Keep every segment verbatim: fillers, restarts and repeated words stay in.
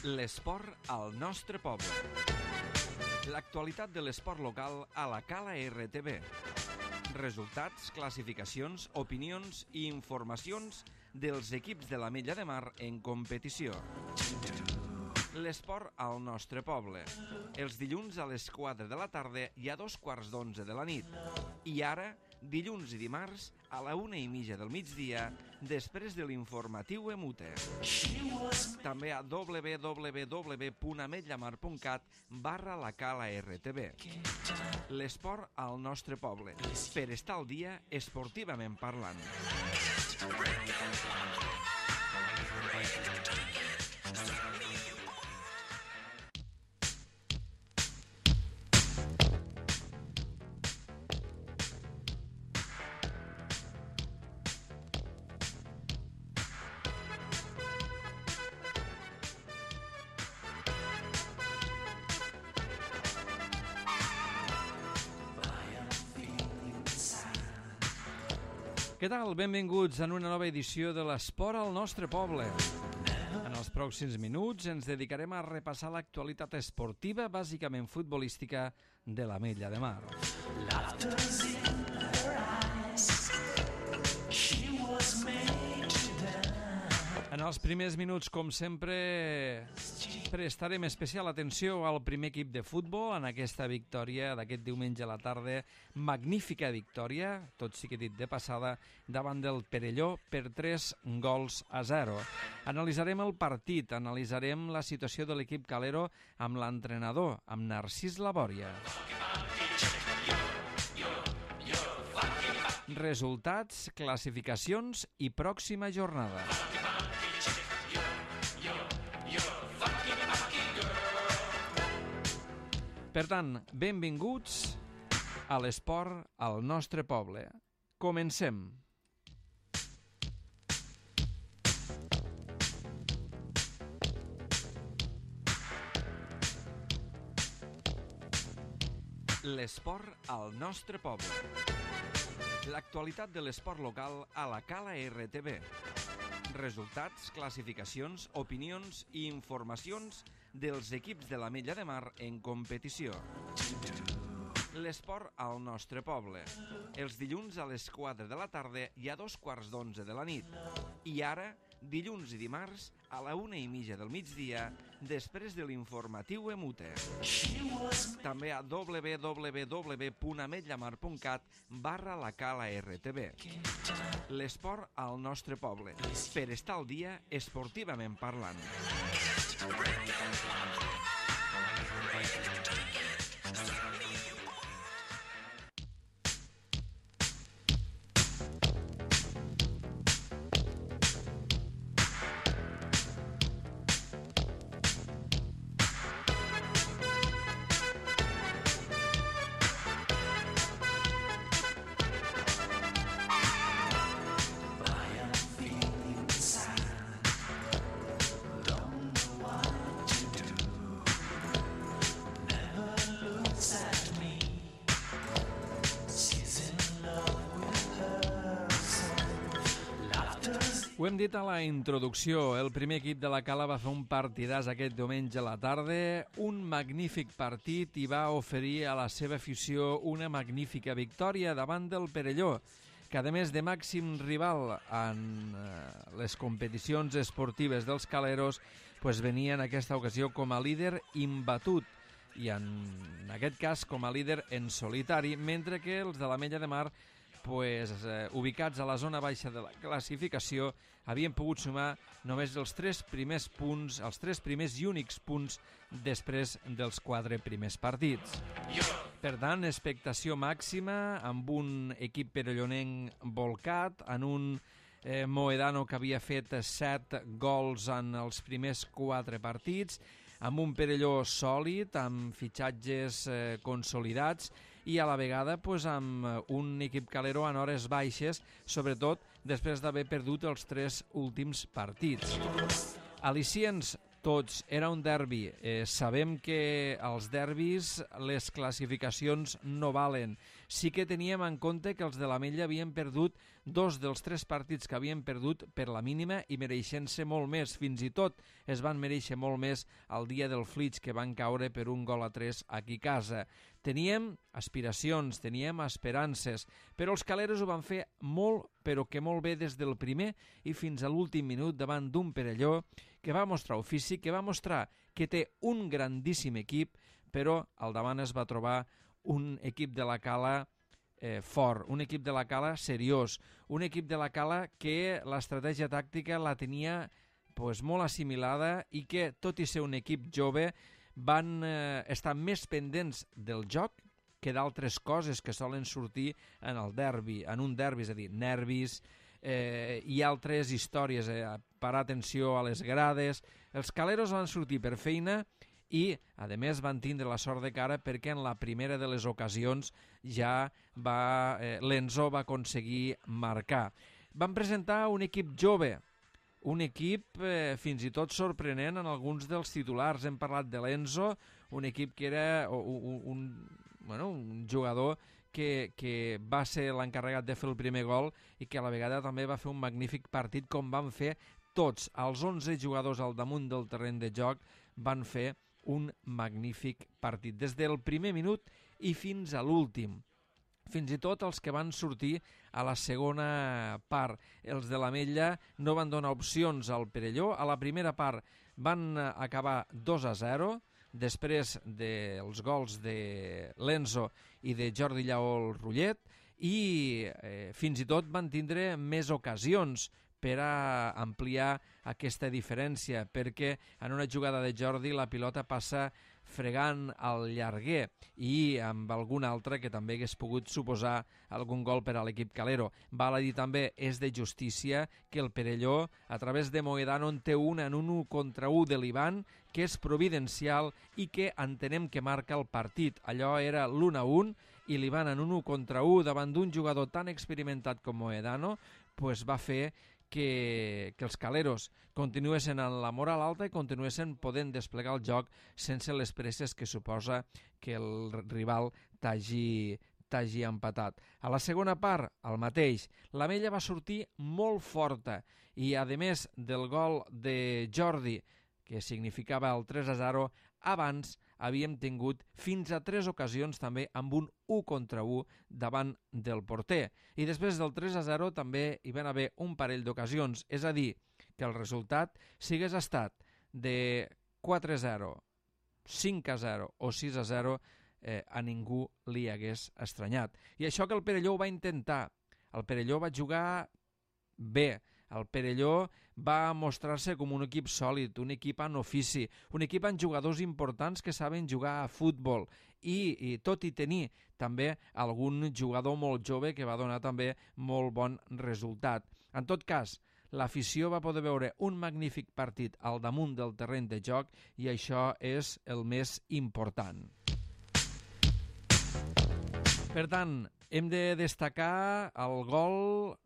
L'esport al nostre poble. L'actualitat de l'esport local a la Cala R T B. Resultats, classificacions, opinions i informacions dels equips de l'Ametlla de Mar en competició. L'esport al nostre poble. Els dilluns a les quatre de la tarda i a dos quarts d'onze de la nit. I ara, dilluns i dimarts, a la una i mitja del migdia, després de l'informatiu Emute. També a w w w punt ametllamar punt cat barra la Cala R T B. L'esport al nostre poble, per estar al dia esportivament parlant. Què tal? Benvinguts en una nova edició de l'Esport al nostre poble. En els pròxims minuts ens dedicarem a repassar l'actualitat esportiva, bàsicament futbolística, de l'Ametlla de Mar. En els primers minuts, com sempre, prestarem especial atenció al primer equip de futbol en aquesta victòria d'aquest diumenge a la tarda. Magnífica victòria, tot sigui dit de passada, davant del Perelló per tres gols a zero. Analitzarem el partit, analitzarem la situació de l'equip calero amb l'entrenador, amb Narcís Labòria. Resultats, classificacions i pròxima jornada. Per tant, benvinguts a l'esport al nostre poble. Comencem. L'esport al nostre poble. L'actualitat de l'esport local a la Cala R T B. Resultats, classificacions, opinions i informacions dels equips de l'Ametlla de Mar en competició. L'esport al nostre poble. Els dilluns a les quatre de la tarda i a dos quarts d'onze de la nit. I ara, dilluns i dimarts, a la una i mitja del migdia, després de l'informatiu Emute. També a w w w punt ametllamar punt cat barra la Cala R T B. L'esport al nostre poble, per estar al dia esportivament parlant. Ho hem dit a la introducció, el primer equip de la Cala va fer un partidàs aquest diumenge a la tarda, un magnífic partit i va oferir a la seva afició una magnífica victòria davant del Perelló, que a més de màxim rival en les competicions esportives dels caleros, pues venia en aquesta ocasió com a líder imbatut i en aquest cas com a líder en solitari, mentre que els de l'Ametlla de Mar Pues, eh, ubicats a la zona baixa de la classificació, havien pogut sumar només els tres primers punts, els tres primers i únics punts després dels quatre primers partits. Per tant, expectació màxima amb un equip perellonenc volcat, en un eh, Moedano que havia fet set gols en els primers quatre partits, amb un Perelló sòlid, amb fitxatges eh, consolidats i a la vegada pues, amb un equip calero en hores baixes, sobretot després d'haver perdut els tres últims partits. Al·licients tots. Era un derbi. Eh, sabem que als derbis les classificacions no valen. Sí que teníem en compte que els de l'Ametlla havien perdut dos dels tres partits que havien perdut per la mínima i mereixent-se molt més. Fins i tot es van mereixer molt més el dia del Flix, que van caure per un gol a tres aquí a casa. Teníem aspiracions, teníem esperances, però els caleros ho van fer molt, però que molt bé des del primer i fins a l'últim minut davant d'un Perelló que va mostrar ofici, que va mostrar que té un grandíssim equip, però al davant es va trobar un equip de la Cala eh, fort, un equip de la Cala seriós, un equip de la Cala que l'estratègia tàctica la tenia pues, molt assimilada i que, tot i ser un equip jove, van eh, estar més pendents del joc que d'altres coses que solen sortir en el derbi, en un derbi, és a dir, nervis eh, i altres històries, eh, parar atenció a les grades. Els caleros van sortir per feina i, a més, van tindre la sort de cara perquè en la primera de les ocasions ja va, eh, l'Enzo va aconseguir marcar. Van presentar un equip jove, un equip eh, fins i tot sorprenent en alguns dels titulars. Hem parlat de l'Enzo, un equip que era un, un, bueno, un jugador que, que va ser l'encarregat de fer el primer gol i que a la vegada també va fer un magnífic partit, com van fer tots. Els onze jugadors al damunt del terreny de joc van fer un magnífic partit, des del primer minut i fins a l'últim. Fins i tot els que van sortir a la segona part. Els de l'Ametlla no van donar opcions al Perelló. A la primera part van acabar dos a zero, després dels gols de l'Enzo i de Jordi Lleó Rullet, i eh, fins i tot van tindre més ocasions per a ampliar aquesta diferència, perquè en una jugada de Jordi la pilota passa fregant al llarguer i amb algun altre que també hagués pogut suposar algun gol per a l'equip calero. Val a dir també, és de justícia que el Perelló, a través de Moedano, en té una en un u contra u de l'Ivan, que és providencial i que entenem que marca el partit. Allò era l'un a un i l'Ivan en un u contra u davant d'un jugador tan experimentat com Moedano, pues va fer que, que els caleros continuessin en la moral alta i continuessin podent desplegar el joc sense les presses que suposa que el rival t'hagi t'hagi empatat. A la segona part, el mateix. L'Ametlla va sortir molt forta i, a més del gol de Jordi, que significava el tres a zero, abans havíem tingut fins a tres ocasions també amb un u contra u davant del porter. I després del tres a zero també hi van haver un parell d'ocasions, és a dir, que el resultat, si hagués estat de quatre a zero, cinc a zero o sis a zero, eh, a ningú li hagués estranyat. I això que el Perelló ho va intentar. El Perelló va jugar bé. El Perelló va mostrar-se com un equip sòlid, un equip en ofici, un equip amb jugadors importants que saben jugar a futbol i, i tot i tenir també algun jugador molt jove que va donar també molt bon resultat. En tot cas, l'afició va poder veure un magnífic partit al damunt del terreny de joc i això és el més important. Per tant, hem de destacar el gol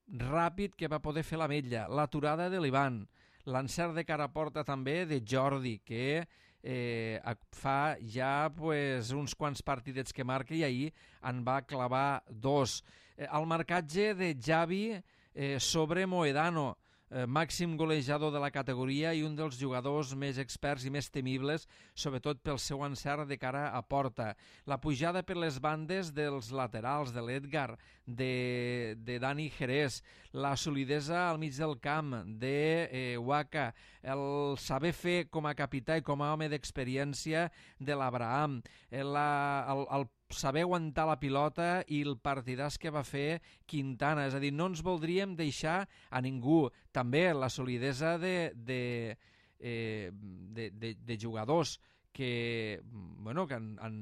ràpid que va poder fer l'Ametlla, l'aturada de l'Ivan, l'encert de cara a porta també de Jordi, que eh, fa ja pues, uns quants partidets que marca i ahir en va clavar dos. Eh, el marcatge de Xavi eh, sobre Moedano, eh, màxim golejador de la categoria i un dels jugadors més experts i més temibles, sobretot pel seu encert de cara a porta. La pujada per les bandes dels laterals, de l'Edgar, de, de Dani Jerez, la solidesa al mig del camp de eh, Waka, el saber fer com a capità i com a home d'experiència de l'Abraham, el, el, el saber aguantar la pilota i el partidàs que va fer Quintana. És a dir, no ens voldríem deixar a ningú. També la solidesa de, de, eh, de, de, de jugadors que, bueno, que, han, han,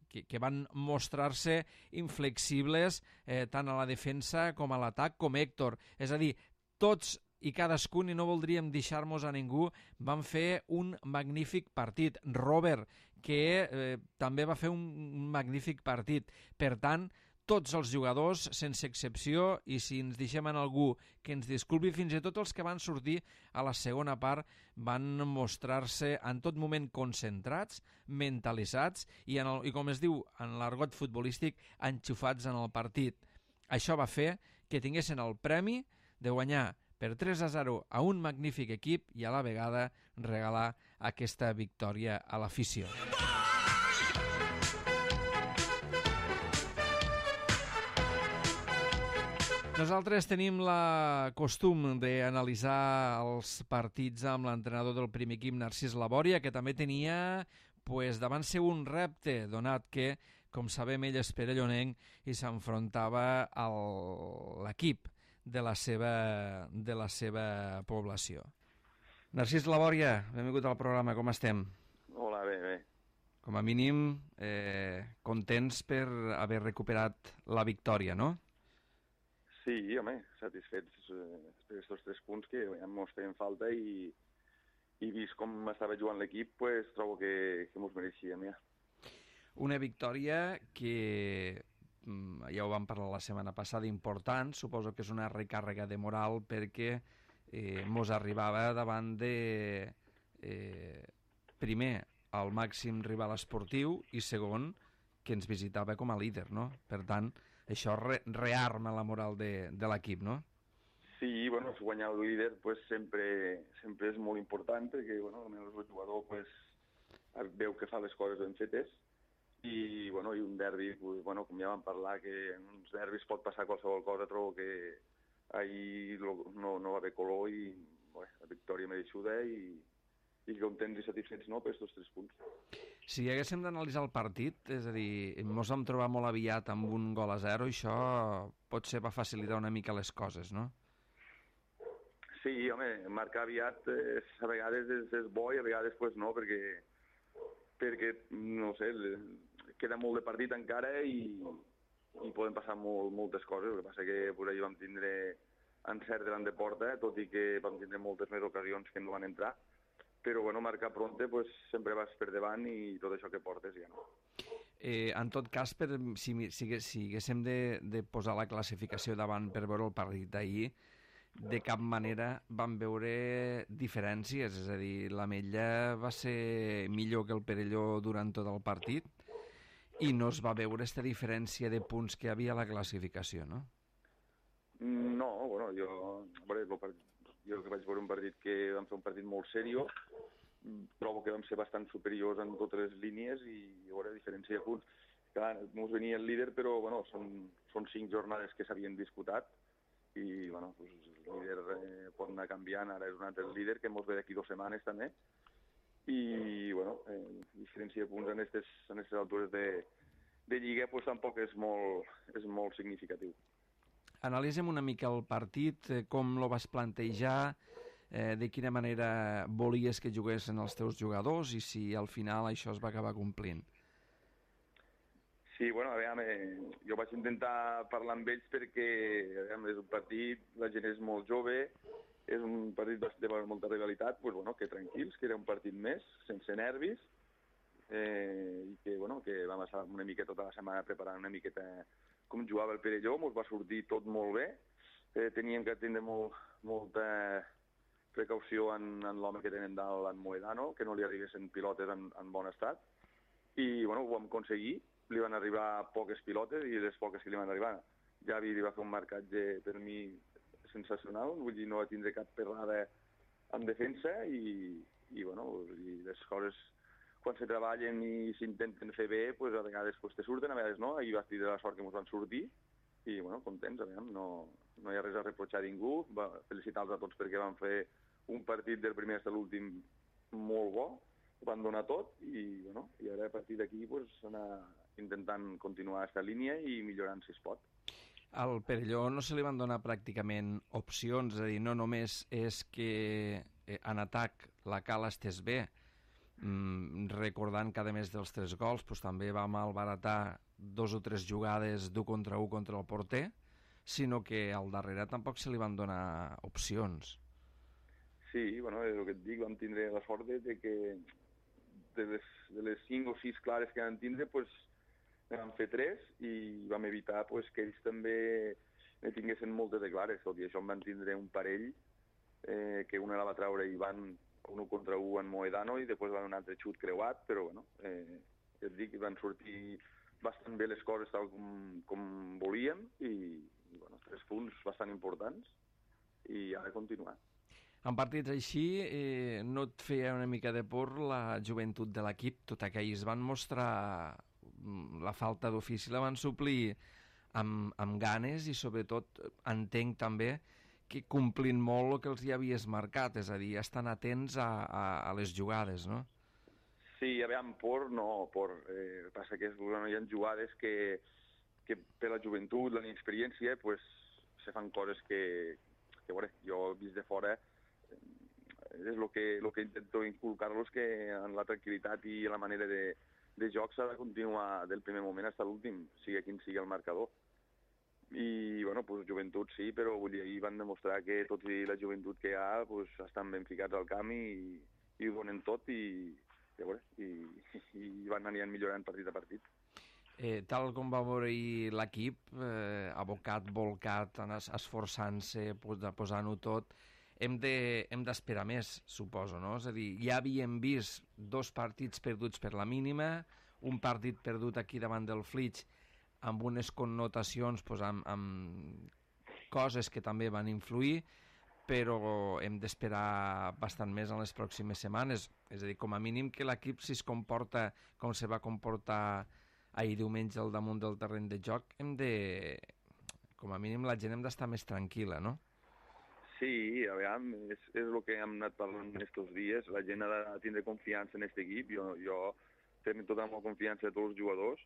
que, que van mostrar-se inflexibles eh, tant a la defensa com a l'atac, com Héctor. És a dir, tots i cadascun, i no voldríem deixar-nos a ningú, van fer un magnífic partit. Robert, que eh, també va fer un, un magnífic partit. Per tant, tots els jugadors, sense excepció, i si ens deixem en algú que ens disculpi, fins i tot els que van sortir a la segona part van mostrar-se en tot moment concentrats, mentalitzats i, en el, i com es diu en l'argot futbolístic, enxufats en el partit. Això va fer que tinguessin el premi de guanyar per tres a zero a un magnífic equip i a la vegada regalar aquesta victòria a l'afició. Nosaltres tenim la costum d'analitzar els partits amb l'entrenador del primer equip, Narcís Labòria, que també tenia pues, davant seu un repte, donat que, com sabem, ell és perellonenc i s'enfrontava a l'equip de la seva, de la seva població. Narcís Labòria, benvingut al programa, com estem? Hola, bé, bé. Com a mínim, eh, contents per haver recuperat la victòria, no? Sí, home, satisfets eh, per aquests tres punts que ja mos feien falta i, i vist com estava jugant l'equip, pues, trobo que, que mos mereixíem ja. Una victòria que, ja ho vam parlar la setmana passada, important, suposo que és una recàrrega de moral perquè eh, mos arribava davant de, eh, primer, el màxim rival esportiu i segon, que ens visitava com a líder, no? Per tant, això re rearma la moral de, de l'equip, no? Sí, bueno, guanyar el líder pues, sempre, sempre és molt important perquè bueno, el jugador pues, veu que fa les coses ben fetes i, bueno, i un derbi, pues, bueno, com ja vam parlar, que en uns derbis pot passar qualsevol cosa, trobo que ahir no, no va haver color i bueno, la victòria mereixuda i, i contents i satisfets no, per aquests tres punts. Si haguéssim d'analitzar el partit, és a dir, ens vam trobar molt aviat amb un gol a zero, i això potser va facilitar una mica les coses, no? Sí, home, marcar aviat eh, a vegades és, és bo i a vegades pues, no, perquè, perquè, no sé, queda molt de partit encara i, i poden passar molt, moltes coses. El que passa que pues, ahir vam tindre encert davant de porta, tot i que vam tindre moltes més ocasions que no van entrar. Però, bueno, marcar pronte, pues, sempre vas per davant i tot això que portes ja no. Eh, en tot cas, per, si, si, si haguéssim de, de posar la classificació davant per veure el partit d'ahir, de cap manera vam veure diferències, és a dir, l'Ametlla va ser millor que el Perelló durant tot el partit i no es va veure aquesta diferència de punts que hi havia a la classificació, no? No, bueno, jo... Bueno, el partit... Jo que vaig veure un partit que vam fer un partit molt seriós, trobo que vam ser bastant superiors en totes les línies i hi haurà diferència de punts. Clar, ens venia el líder, però bueno, són, són cinc jornades que s'havien disputat i bueno, pues, el líder eh, pot anar canviant, ara és un altre líder que ens ve d'aquí dues setmanes també i bueno, eh, diferència de punts en aquestes en aquestes altures de, de Lliga pues, tampoc és molt, és molt significatiu. Analitzem una mica el partit, eh, com lo vas plantejar, eh, de quina manera volies que juguessin els teus jugadors i si al final això es va acabar complint. Sí, bueno, a veure, jo vaig intentar parlar amb ells perquè a veure, és un partit, la gent és molt jove, és un partit de molta rivalitat, pues, bueno, que tranquils, que era un partit més, sense nervis, eh, i que, bueno, que vam estar una miqueta tota la setmana preparant una miqueta com jugava el Perelló, ens va sortir tot molt bé, eh, teníem que tindre molt, molta precaució en, en l'home que tenen dalt, en Moedano, que no li arribessin pilotes en, en bon estat, i bueno, ho vam aconseguir, li van arribar poques pilotes i les poques que li van arribar. Javi li va fer un marcatge per mi sensacional, vull dir, no va tindre cap perrada en defensa i, i bueno, i les coses quan se treballen i s'intenten fer bé, pues, a vegades pues, te surten, a vegades no, i vas tindre la sort que ens van sortir, i bueno, contents, a veure, no, no hi ha res a reprochar a ningú, va felicitar-los a tots perquè van fer un partit del primer fins a l'últim molt bo, van donar tot, i, bueno, i ara a partir d'aquí pues, anar intentant continuar aquesta línia i millorant si es pot. Al Perelló no se li van donar pràcticament opcions, és a dir, no només és que eh, en atac la Cala estés bé, Mm, recordant que a més dels tres gols pues, també va malbaratar dos o tres jugades d'un contra un contra el porter, sinó que al darrere tampoc se li van donar opcions. Sí, bueno, és el que et dic, vam tindre la sort de que de les, de les cinc o sis clares que van tindre, pues, ne vam fer tres i vam evitar pues, que ells també ne tinguessin moltes de clares, tot i això en van tindre un parell eh, que una la va treure i van un contra un en Moedano i després van un altre xut creuat, però bueno, eh, et dic, van sortir bastant bé les coses tal com, com volíem i, i bueno, tres punts bastant importants i ha de continuar. En partits així, eh, no et feia una mica de por la joventut de l'equip, tot i que ells van mostrar la falta d'ofici, la van suplir amb, amb ganes i sobretot entenc també que complint molt el que els hi havies marcat, és a dir, estan atents a, a, a les jugades, no? Sí, a veure, por no, por, eh, passa que bueno, hi ha jugades que, que per la joventut, la inexperiència, pues, se fan coses que, que bueno, jo vist de fora és el que, lo que intento inculcar-los, que en la tranquil·litat i la manera de, de joc s'ha de continuar del primer moment fins a l'últim, sigui quin sigui el marcador. I, bueno, pues, joventut sí, però vull dir, ahir van demostrar que tot i la joventut que hi ha pues, estan ben ficats al camp i, i ho donen tot i, i, bueno, i, i van anant millorant partit a partit. Eh, tal com va veure l'equip, eh, abocat, volcat, esforçant-se, posant-ho tot, hem de, hem d'esperar més, suposo, no? És a dir, ja havíem vist dos partits perduts per la mínima, un partit perdut aquí davant del Flix amb unes connotacions, pues, amb, amb coses que també van influir, però hem d'esperar bastant més en les pròximes setmanes. És a dir, com a mínim que l'equip, si es comporta com se va comportar ahir diumenge al damunt del terreny de joc, hem de, com a mínim la gent hem d'estar més tranquil·la, no? Sí, a veure, és, és el que hem anat parlant aquests dies. La gent ha de tindre confiança en aquest equip. Jo, jo tenc tota la confiança de tots els jugadors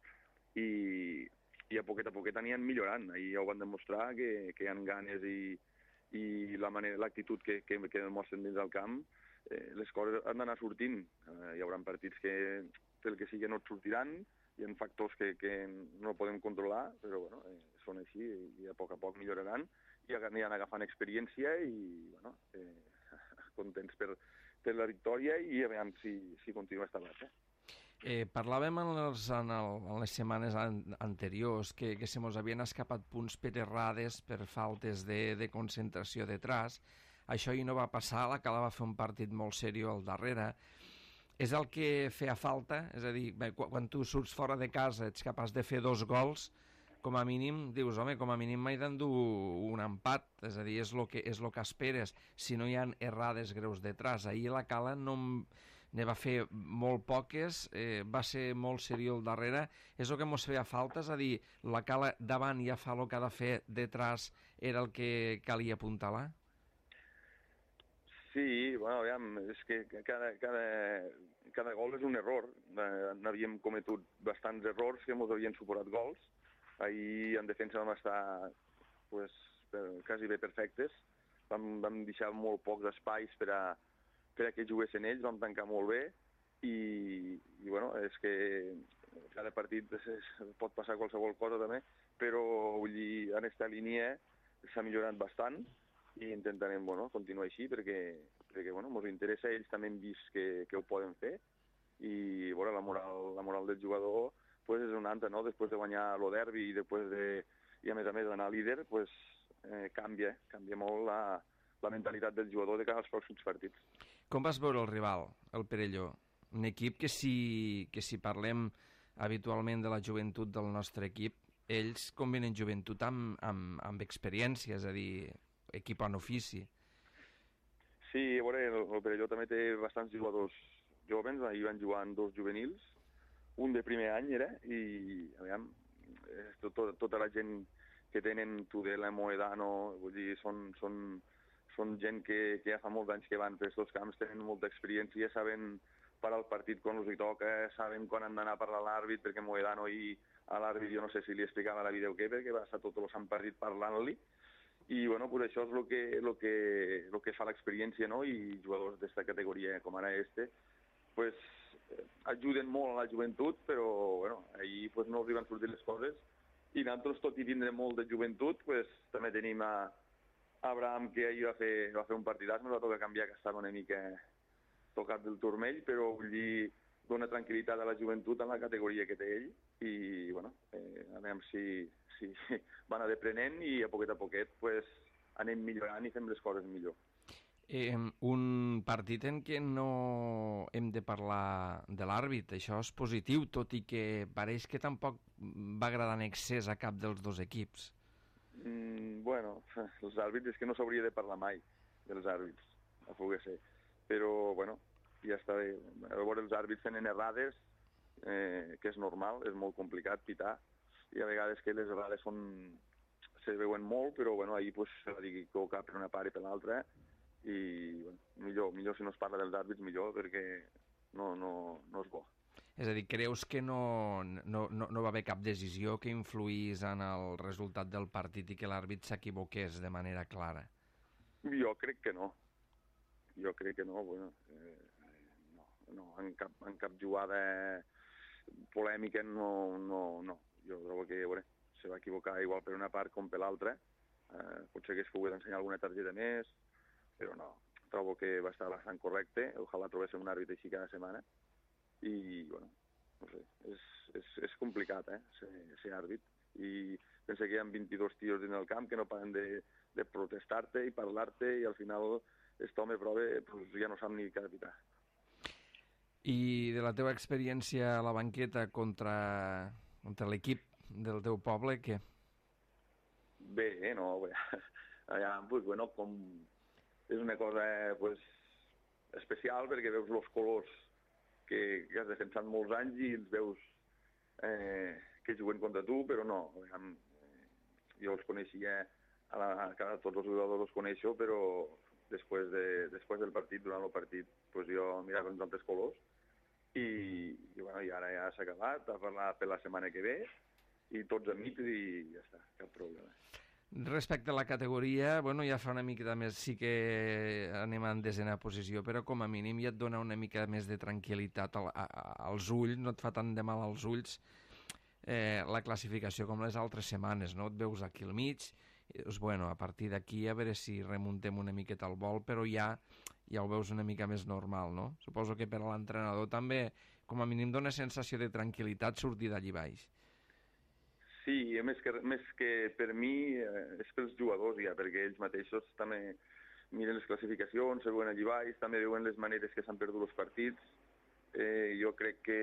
i, i a poquet a poquet aniran millorant. Ahir ja ho van demostrar, que, que hi ha ganes i, i la manera, l'actitud que, que, que demostren dins del camp. Eh, les coses han d'anar sortint. Eh, hi haurà partits que pel que sigui no et sortiran, hi ha factors que, que no podem controlar, però bueno, eh, són així i a poc a poc milloraran i aniran agafant experiència i bueno, eh, contents per, per la victòria i a veure si, si continua esta base. Eh, parlàvem en, els, en, el, en les setmanes an, anteriors que, que se mos havien escapat punts per errades, per faltes de, de concentració detrás. Això hi no va passar, la Cala va fer un partit molt seriós al darrere. És el que feia falta, és a dir, bé, quan, quan tu surts fora de casa ets capaç de fer dos gols, com a mínim, dius, home, com a mínim m'he d'endur un empat, és a dir, és el que, és lo que esperes, si no hi ha errades greus detrás. Ahir la Cala no ne va fer molt poques, eh, va ser molt seriós al darrere, és el que mos feia falta, és a dir, la Cala davant ja fa el que ha de fer, detrás era el que calia apuntalar? Sí, bueno, aviam, és que cada, cada, cada gol és un error. Eh, n'havíem cometut bastants errors que ens havien suposat gols. Ahir en defensa vam estar pues, per, quasi bé perfectes. Vam, vam deixar molt pocs espais per a, per a que juguessin ells, vam tancar molt bé i, i bueno, és que cada partit és, és, pot passar qualsevol cosa també, però vull dir, en aquesta línia s'ha millorat bastant i intentarem bueno, continuar així perquè, perquè bueno, ens interessa, ells també hem vist que, que ho poden fer i bueno, la, moral, la moral del jugador pues, és una altra, no? Després de guanyar el derbi i després de, i a més a més d'anar líder, pues, eh, canvia, canvia molt la, la mentalitat del jugador de cara als pròxims partits. Com vas veure el rival, el Perelló? Un equip que si, que si parlem habitualment de la joventut del nostre equip, ells combinen joventut amb, amb, amb experiència, és a dir, equip en ofici. Sí, a veure, el, el Perelló també té bastants jugadors jovens, ahir van jugar en dos juvenils, un de primer any era, i a veure, tot, tot, tota la gent que tenen Tudela, Moedano, vull dir, són, són, són gent que, que ja fa molts anys que van per aquests camps, tenen molta experiència, saben parar el partit quan els hi toca, saben quan han d'anar a parlar a l'àrbit, perquè Moedano i a l'àrbit jo no sé si li explicava a la vídeo què, perquè va estar tot el sant partit parlant-li, i bueno, pues això és el que, lo que, lo que fa l'experiència, no? I jugadors d'esta categoria, com ara este, pues, ajuden molt a la joventut, però bueno, ahir pues, no els van sortir les coses i nosaltres, tot i tindre molt de joventut, pues, també tenim a Abraham, que ahir va fer, va fer un partidàs, ens va tocar canviar, que estava una mica tocat del turmell, però vull dir, dona tranquil·litat a la joventut en la categoria que té ell i, bueno, eh, a veure si, si van anar aprenent i a poquet a poquet pues, anem millorant i fem les coses millor. Eh, un partit en què no hem de parlar de l'àrbit, això és positiu, tot i que pareix que tampoc va agradar en excés a cap dels dos equips. Mm, bueno, els àrbits és que no s'hauria de parlar mai dels àrbits, a poder ser, però bueno, ja està bé. Llavors els àrbits tenen errades, eh, que és normal, és molt complicat pitar, i a vegades que les errades són, se veuen molt, però bueno, ahir pues, se va dir que equivocar per una part i per l'altra, i bueno, millor, millor si no es parla dels àrbits, millor, perquè no, no, no és bo. És a dir, creus que no, no, no, no va haver cap decisió que influís en el resultat del partit i que l'àrbit s'equivoqués de manera clara? Jo crec que no. Jo crec que no. Bueno, eh, no, no en, cap, en cap jugada polèmica no, no, no. Jo trobo que bueno, se va equivocar igual per una part com per l'altra. Eh, potser que es pogués ensenyar alguna targeta més, però no, trobo que va estar bastant correcte. Ojalà trobéssim un àrbit així cada setmana. I, bueno, no sé, és, és, és complicat, eh, ser, ser àrbit. I pensa que hi ha vint-i-dos tios dins del camp que no paren de, de protestar-te i parlar-te i al final aquest home prova, pues, ja no sap ni què pitar. I de la teva experiència a la banqueta contra, contra l'equip del teu poble, què? Bé, eh, no, bé. Allà, pues, bueno, com és una cosa pues, especial perquè veus els colors que, que has defensat molts anys i els veus eh, que juguen contra tu, però no. Eh, jo els coneixia, a la, a tots els jugadors els coneixo, però després, de, després del partit, durant el partit, pues jo mirava uns altres colors i, i, bueno, i ara ja s'ha acabat, a parlar per la setmana que ve i tots amics i ja està, cap problema. Respecte a la categoria, bueno, ja fa una mica més, sí que anem en desena posició, però com a mínim ja et dona una mica més de tranquil·litat al, a, als ulls, no et fa tant de mal als ulls eh, la classificació com les altres setmanes, no? Et veus aquí al mig, i dius, bueno, a partir d'aquí a veure si remuntem una miqueta al vol, però ja, ja ho veus una mica més normal, no? Suposo que per a l'entrenador també, com a mínim, dona sensació de tranquil·litat sortir d'allí baix. Sí, més que, més que per mi eh, és pels jugadors ja, perquè ells mateixos també miren les classificacions, se veuen allí baix, també veuen les maneres que s'han perdut els partits. Eh, jo crec que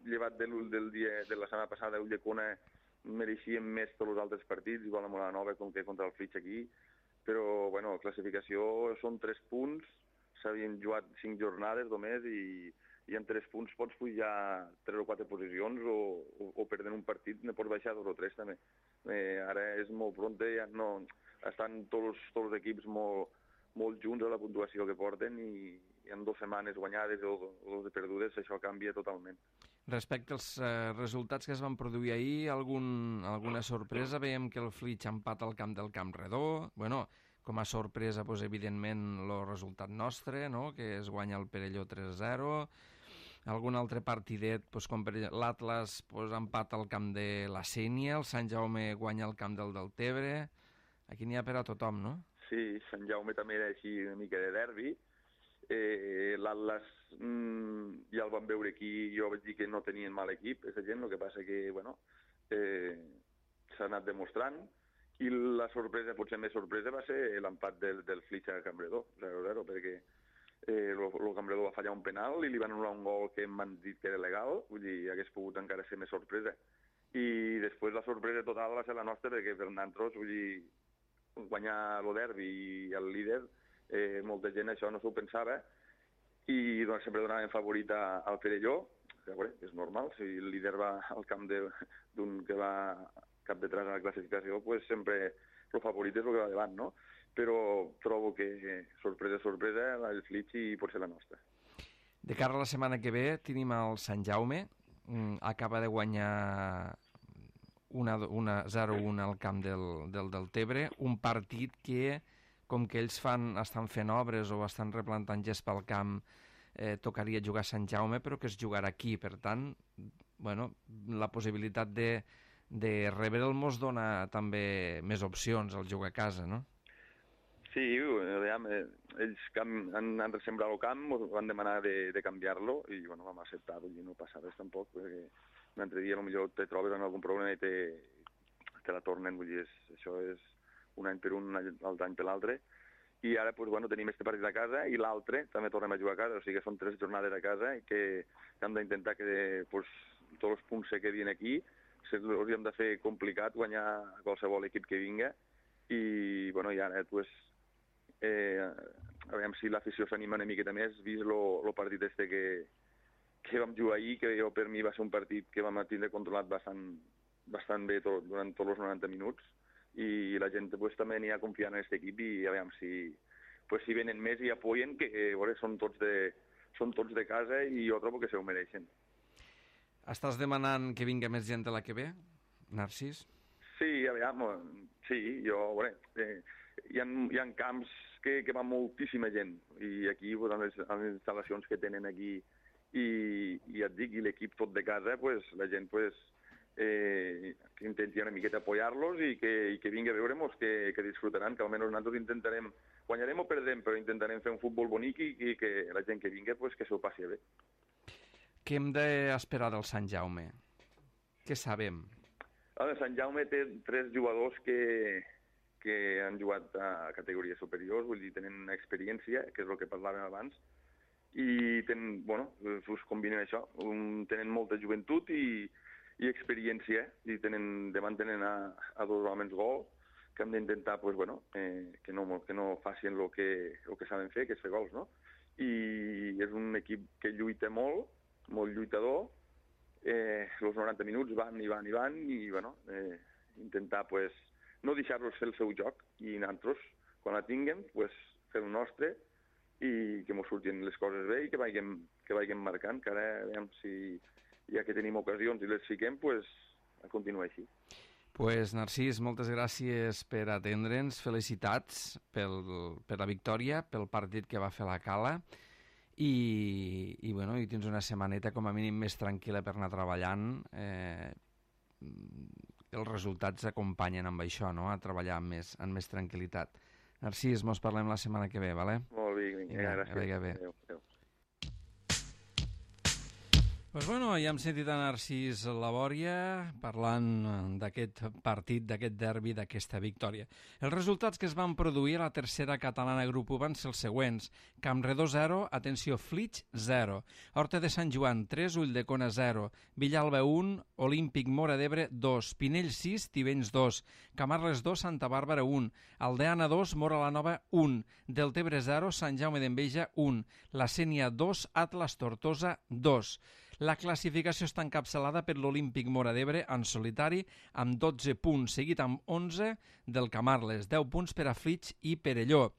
llevat de, del dia de la setmana passada, Ulldecona mereixien més tots els altres partits, igual amb la Nova com que contra el Flix aquí, però bueno, la classificació són tres punts, s'havien jugat cinc jornades només i i en tres punts pots pujar tres o quatre posicions o, o, o perdent un partit ne pots baixar dos o tres també. Eh, ara és molt pronte, ja no, estan tots, tots els equips molt, molt junts a la puntuació que porten i, i en dues setmanes guanyades o, o dos perdudes això canvia totalment. Respecte als eh, resultats que es van produir ahir, algun, alguna sorpresa? Veiem que el Flix empata al camp del Camp Redó. Bueno, com a sorpresa, doncs, evidentment, el resultat nostre, no? Que es guanya el Perelló tres a zero. Algun altre partidet, doncs, com per l'Atlas doncs, empata al camp de la Sénia, el Sant Jaume guanya al camp del Deltebre. Aquí n'hi ha per a tothom, no? Sí, Sant Jaume també era així una mica de derbi. Eh, L'Atlas mm, ja el vam veure aquí, jo vaig dir que no tenien mal equip, aquesta gent, el que passa que, bueno, eh, s'ha anat demostrant. I la sorpresa, potser més sorpresa, va ser l'empat del, del Flix a Campredó, zero a zero, perquè eh, el Campredó va fallar un penal i li van anul·lar un gol que m'han dit que era legal, vull dir, hagués pogut encara ser més sorpresa. I després la sorpresa total va ser la nostra, perquè per nosaltres, vull dir, guanyar el derbi i el líder, eh, molta gent això no s'ho pensava, i doncs, sempre donaven favorit a, al Perelló, que bueno, és normal, si el líder va al camp d'un que va cap detrás a la classificació, pues sempre el favorit és el que va davant, no? Però trobo que sorpresa, sorpresa, el Flix i pot ser la nostra. De cara a la setmana que ve tenim el Sant Jaume, acaba de guanyar una, una zero a un al camp del, del Deltebre, un partit que, com que ells fan, estan fent obres o estan replantant gest pel camp, eh, tocaria jugar a Sant Jaume, però que es jugarà aquí. Per tant, bueno, la possibilitat de de rebre'l mos dona també més opcions al jugar a casa, no? Sí, Sí, aviam, eh, ells cam, han, han ressembrat el camp, ens van demanar de, de canviar-lo i bueno, vam acceptar, vull dir, no passa res tampoc, perquè un altre dia potser te trobes en algun problema i te, te la tornen, vull dir, és, això és un any per un, l'altre any per l'altre, i ara pues, bueno, tenim este partit a casa i l'altre també tornem a jugar a casa, o sigui que són tres jornades a casa i que, que hem d'intentar que pues, tots els punts se quedin aquí, els hauríem de fer complicat guanyar a qualsevol equip que vinga, i bueno, i ara pues, Eh, a veure si l'afició s'anima una miqueta més, vist el partit este que, que vam jugar ahir, que jo per mi va ser un partit que vam tindre controlat bastant, bastant bé tot, durant tots els noranta minuts, i la gent pues, també n'hi ha confiant en aquest equip i a veure si, pues, si venen més i apoyen, que eh, veure, són, tots de, són tots de casa i jo trobo que se ho mereixen. Estàs demanant que vinga més gent de la que ve, Narcís? Sí, a veure, sí, jo, veure, eh, hi ha, hi ha camps que, que va moltíssima gent i aquí, pues, en, les, en les instal·lacions que tenen aquí i, i et dic, i l'equip tot de casa, pues, la gent pues, eh, que intenti una miqueta apoyar-los i que, i que vingui a veure-nos, que, que disfrutaran, que almenys nosaltres intentarem, guanyarem o perdem, però intentarem fer un futbol bonic i, i que la gent que vingui pues, que s'ho passi bé. Què hem d'esperar del Sant Jaume? Què sabem? El Sant Jaume té tres jugadors que, que han jugat a categories superiors, vull dir, tenen experiència, que és el que parlàvem abans, i tenen, bueno, us combinen això, um, tenen molta joventut i, i experiència, i tenen, davant tenen a, a dos homes gol, que hem d'intentar, pues, bueno, eh, que, no, que no facin el que, el que saben fer, que és fer gols, no? I és un equip que lluita molt, molt lluitador, eh, els noranta minuts van i van i van, i, bueno, eh, intentar, pues, no deixar-los fer el seu joc, i nosaltres, quan la tinguem, pues, fer el nostre, i que ens surtin les coses bé i que vagin, que vagin marcant, que ara, veiem si ja que tenim ocasions i les fiquem, pues, a continuar així. Pues, Narcís, moltes gràcies per atendre'ns, felicitats pel, per la victòria, pel partit que va fer la Cala, i, i, bueno, i tens una setmaneta com a mínim més tranquil·la per anar treballant. Eh, els resultats acompanyen amb això, no?, a treballar amb més, amb més tranquil·litat. Narcís, mos parlem la setmana que ve, vale? Molt bé, vinga, vinga, gràcies. Vinga, bé. Adéu, adéu. Pues bueno, ja hem sentit a Narcís Labòria parlant d'aquest partit, d'aquest derbi, d'aquesta victòria. Els resultats que es van produir a la tercera catalana grup u van ser els següents: Campredó zero, atenció, Flix zero, Horta de Sant Joan tres, Ulldecona zero, Villalba un, Olímpic Móra d'Ebre dos, Pinell sis, Tivenys dos, Camarles dos, Santa Bàrbara un, Aldeana dos, Móra la Nova un, Deltebre zero, Sant Jaume d'Enveja un, La Sénia dos, Atlas Tortosa dos. La classificació està encapçalada per l'Olímpic Móra d'Ebre en solitari amb dotze punts, seguit amb onze del Camarles, deu punts per a Flix i Perelló.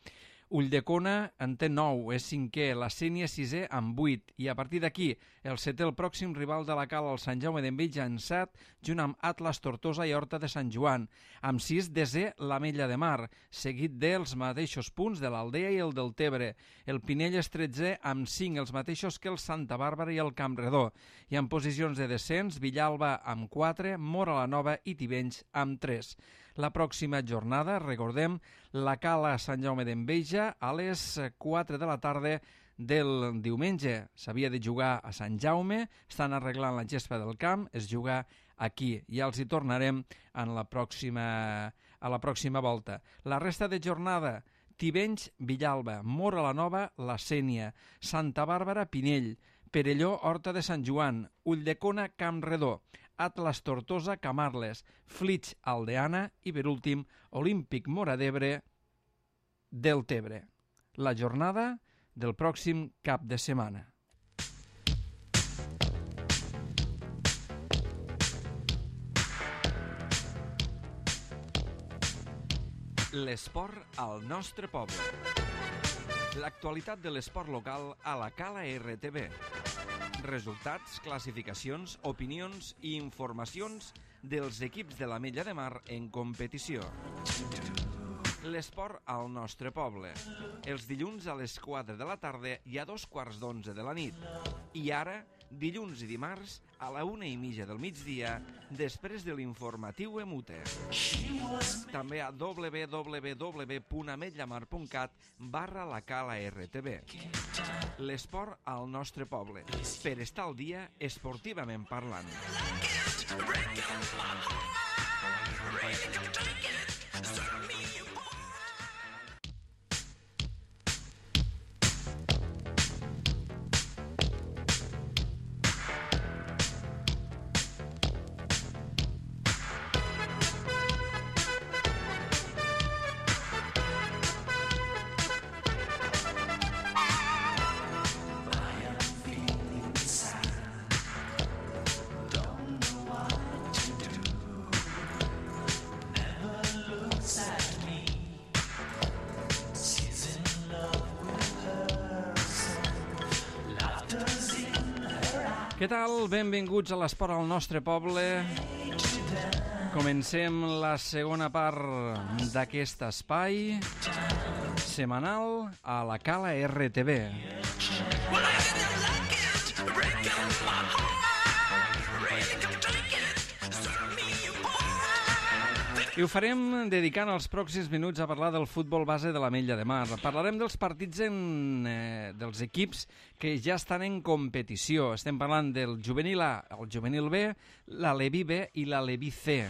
Ulldecona en té nou, és cinquè, la Sénia sisè amb vuit, i a partir d'aquí el setè, el pròxim rival de la Cala, el Sant Jaume d'Enveja, en set, junt amb Atlas Tortosa i Horta de Sant Joan. Amb sis, desè, l'Ametlla de Mar, seguit dels mateixos punts de l'Aldea i el Deltebre. El Pinell és tretzè amb cinc, els mateixos que el Santa Bàrbara i el Campredó. I en posicions de descens, Villalba amb quatre, Móra la Nova i Tivenys amb tres. La pròxima jornada, recordem, la Cala Sant Jaume d'Enveja a les quatre de la tarda del diumenge. S'havia de jugar a Sant Jaume, estan arreglant la gespa del camp, es juga aquí. Ja els hi tornarem en la pròxima, a la pròxima volta. La resta de jornada: Tivenys, Villalba, Móra la Nova, La Sénia, Santa Bàrbara, Pinell, Perelló, Horta de Sant Joan, Ulldecona, Campredó, Atlas Tortosa, Camarles, Flix, Aldeana i, per últim, Olímpic Móra d'Ebre, Deltebre. La jornada del pròxim cap de setmana. L'esport al nostre poble. L'actualitat de l'esport local a la Cala R T V. Resultats, classificacions, opinions i informacions dels equips de l'Ametlla de Mar en competició. L'esport al nostre poble. Els dilluns a les quatre de la tarda i a dos quarts d'onze de la nit. I ara, dilluns i dimarts a la una i mitja del migdia, després de l'informatiu Emute. També a w w w punt ametlllamar punt cat barra la cala R T V. L'esport al nostre poble, per estar al dia esportivament parlant. Què tal? Benvinguts a l'esport al nostre poble. Comencem la segona part d'aquest espai setmanal a la Cala R T V. I ho farem dedicant els pròxims minuts a parlar del futbol base de l'Ametlla de Mar. Parlarem dels partits en, eh, dels equips que ja estan en competició. Estem parlant del juvenil A, el juvenil B, l'Aleví B i l'Aleví C.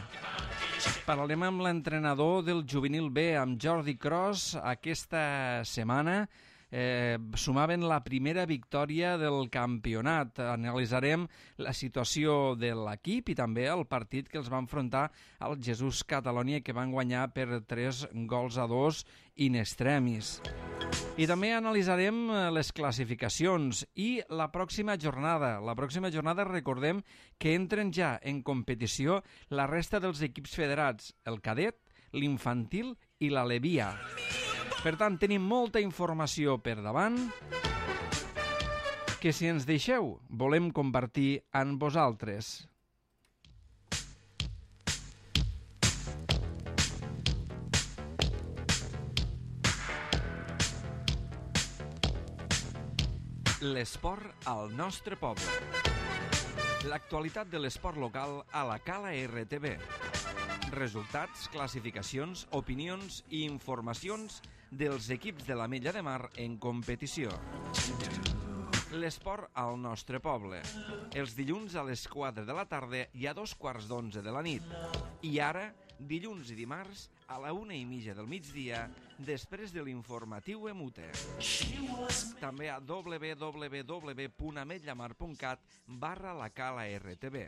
Parlarem amb l'entrenador del juvenil B, amb Jordi Cros, aquesta setmana. Eh, sumaven la primera victòria del campionat. Analitzarem la situació de l'equip i també el partit que els va enfrontar al Jesús Catalònia, que van guanyar per tres gols a dos in extremis. I també analitzarem les classificacions i la pròxima jornada. La pròxima jornada recordem que entren ja en competició la resta dels equips federats, el cadet, l'infantil i l'Aleví A. Per tant, tenim molta informació per davant que, si ens deixeu, volem compartir amb vosaltres. L'esport al nostre poble. L'actualitat de l'esport local a la Cala R T V. Resultats, classificacions, opinions i informacions dels equips de l'Ametlla de Mar en competició. L'esport al nostre poble. Els dilluns a les quatre de la tarda i a dos quarts d'onze de la nit. I ara, dilluns i dimarts, a la una i mitja del migdia, després de l'informatiu Emute. També a w w w punt ametlllamar punt cat barra la cala R T V.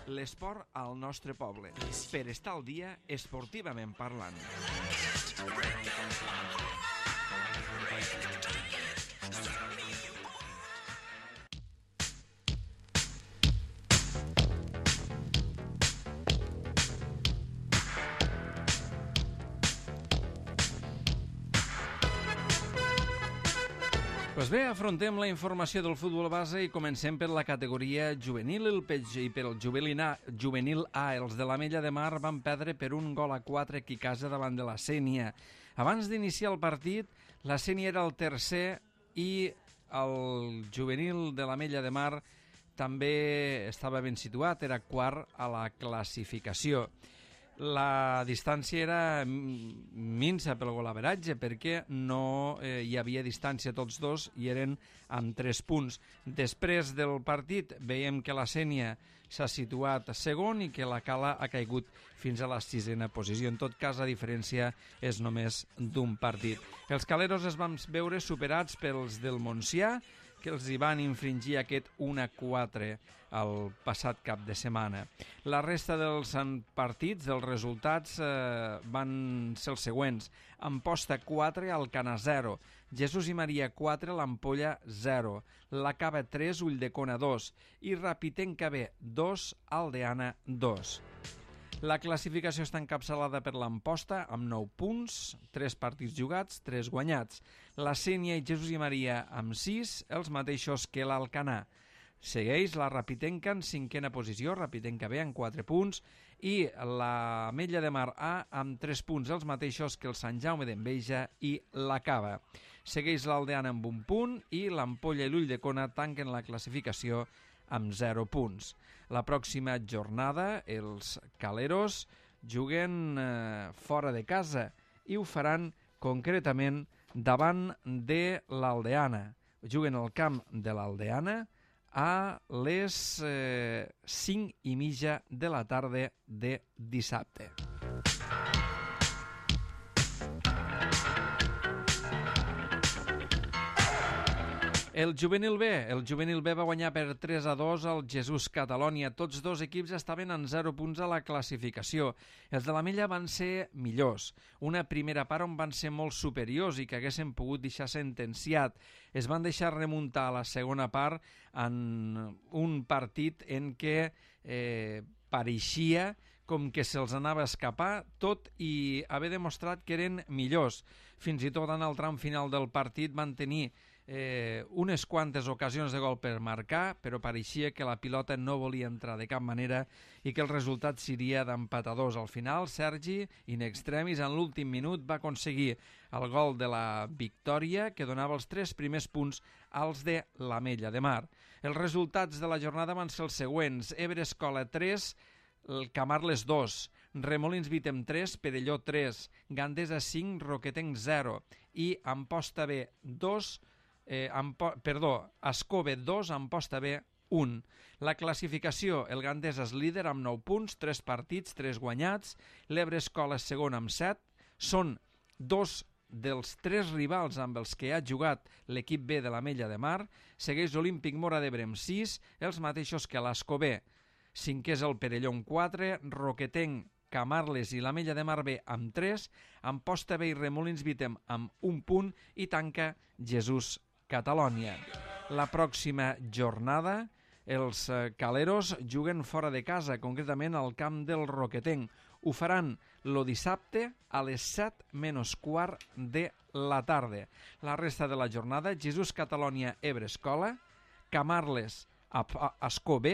L'esport al nostre poble, per estar al dia esportivament parlant. Pues bé, afrontem la informació del futbol base i comencem per la categoria juvenil. El P G i per el juvenil A, juvenil A, els de l'Ametlla de Mar van perdre per un gol a quatre aquí a casa davant de la Sénia. Abans d'iniciar el partit, la Sénia era el tercer i el juvenil de l'Ametlla de Mar també estava ben situat, era quart a la classificació. La distància era minsa pel golaveratge perquè no eh, hi havia distància, tots dos i eren amb tres punts. Després del partit veiem que la Sénia s'ha situat segon i que la Cala ha caigut fins a la sisena posició. En tot cas, la diferència és només d'un partit. Els caleros es van veure superats pels del Montsià, que els hi van infringir aquest un a quatre el passat cap de setmana. La resta dels partits, dels resultats, eh, van ser els següents. Amposta quatre, Alcanar zero, Jesús i Maria quatre, l'Ampolla zero, la Cava tres, Ulldecona dos i Rapitenca B dos, Aldeana dos. La classificació està encapçalada per l'Amposta amb nou punts, tres partits jugats, tres guanyats. La Sénia i Jesús i Maria amb sis, els mateixos que l'Alcanar. Segueix la Rapitenca en cinquena posició, Rapitenca B amb quatre punts, i la Ametlla de Mar A amb tres punts, els mateixos que el Sant Jaume d'Enveja i la Cava. Segueix l'Aldeana amb un punt i l'Ampolla i l'Ulldecona tanquen la classificació amb zero punts. La pròxima jornada els Caleros juguen eh, fora de casa i ho faran concretament davant de l'Aldeana. Juguen al camp de l'Aldeana a les eh, cinc i mitja de la tarda de dissabte. El juvenil B. El juvenil B va guanyar per tres a dos al Jesús Catalònia. Tots dos equips estaven en zero punts a la classificació. Els de l'Ametlla van ser millors. Una primera part on van ser molt superiors i que haguessin pogut deixar sentenciat. Es van deixar remuntar a la segona part en un partit en què eh, pareixia com que se'ls anava a escapar, tot i haver demostrat que eren millors. Fins i tot en el tram final del partit van tenir Eh, unes quantes ocasions de gol per marcar, però pareixia que la pilota no volia entrar de cap manera i que el resultat seria d'empatadors. Al final, Sergi, in extremis, en l'últim minut va aconseguir el gol de la victòria que donava els tres primers punts als de l'Ametlla de Mar. Els resultats de la jornada van ser els següents: Ebre Escola tres, el Camarles dos, Remolins Vítem tres, Perelló tres, Gandesa cinc, Roquetenc zero i Amposta B dos, Eh, Ampo, perdó, Ascove dos, Amposta B un. La classificació, el Gandesa és líder amb nou punts, tres partits, tres guanyats, l'Ebre Escola és segon amb set, són dos dels tres rivals amb els que ha jugat l'equip B de l'Ametlla de Mar, segueix l'Olímpic Móra d'Ebre amb sis, els mateixos que l'Ascove. Cinquè és el Perelló amb quatre, Roquetenc, Camarles i l'Ametlla de Mar B amb tres, Amposta B i Remolins Vítem amb un punt i tanca Jesús Catalònia. La pròxima jornada els Caleros juguen fora de casa, concretament al camp del Roquetenc. Ho faran el dissabte a les set menys quart de la tarda. La resta de la jornada, Jesús Catalònia, Ebre Escola, Camarles, Ascó B,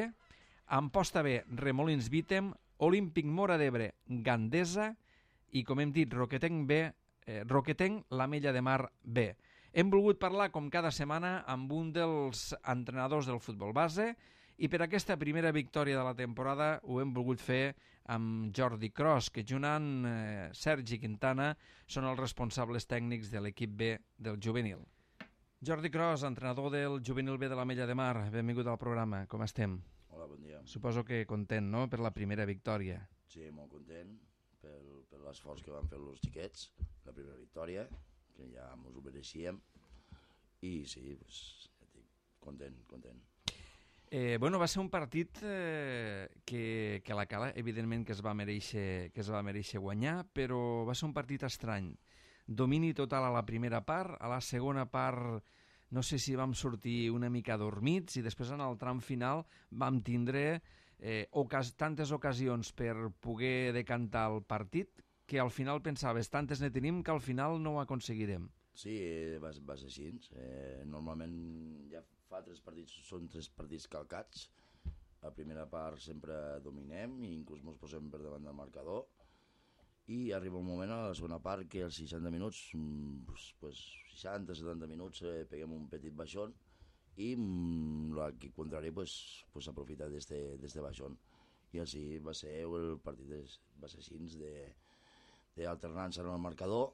Amposta B, Remolins Vítem, Olímpic Móra d'Ebre, Gandesa i, com hem dit, Roquetenc B, eh, Roquetenc, l'Ametlla de Mar B. Hem volgut parlar, com cada setmana, amb un dels entrenadors del futbol base i per aquesta primera victòria de la temporada ho hem volgut fer amb Jordi Cros, que junt amb eh, Sergi Quintana són els responsables tècnics de l'equip B del juvenil. Jordi Cros, entrenador del juvenil B de l'Ametlla de Mar, benvingut al programa. Com estem? Hola, bon dia. Suposo que content, no?, per la primera victòria. Sí, molt content per, per l'esforç que van fer els xiquets, la primera victòria, que ja ens ho mereixíem, i sí, pues, ja dic, content, content. Eh, bueno, va ser un partit eh, que, que la Cala, evidentment, que es va mereixer, que es va mereixer guanyar, però va ser un partit estrany. Domini total a la primera part, a la segona part no sé si vam sortir una mica dormits i després en el tram final vam tindre eh, ocas tantes ocasions per poder decantar el partit que al final pensaves, tantes ne tenim que al final no ho aconseguirem. Sí, eh, va, va ser així. Eh, normalment ja fa tres partits, són tres partits calcats. La primera part sempre dominem i inclús ens posem per davant del marcador. I arriba un moment a la segona part que als seixanta minuts, pues, pues, seixanta setanta minuts, eh, peguem un petit baixón i l'equip contrari pues, pues, aprofita d'este baixón. I així va ser el partit, va ser així d'alternança en el marcador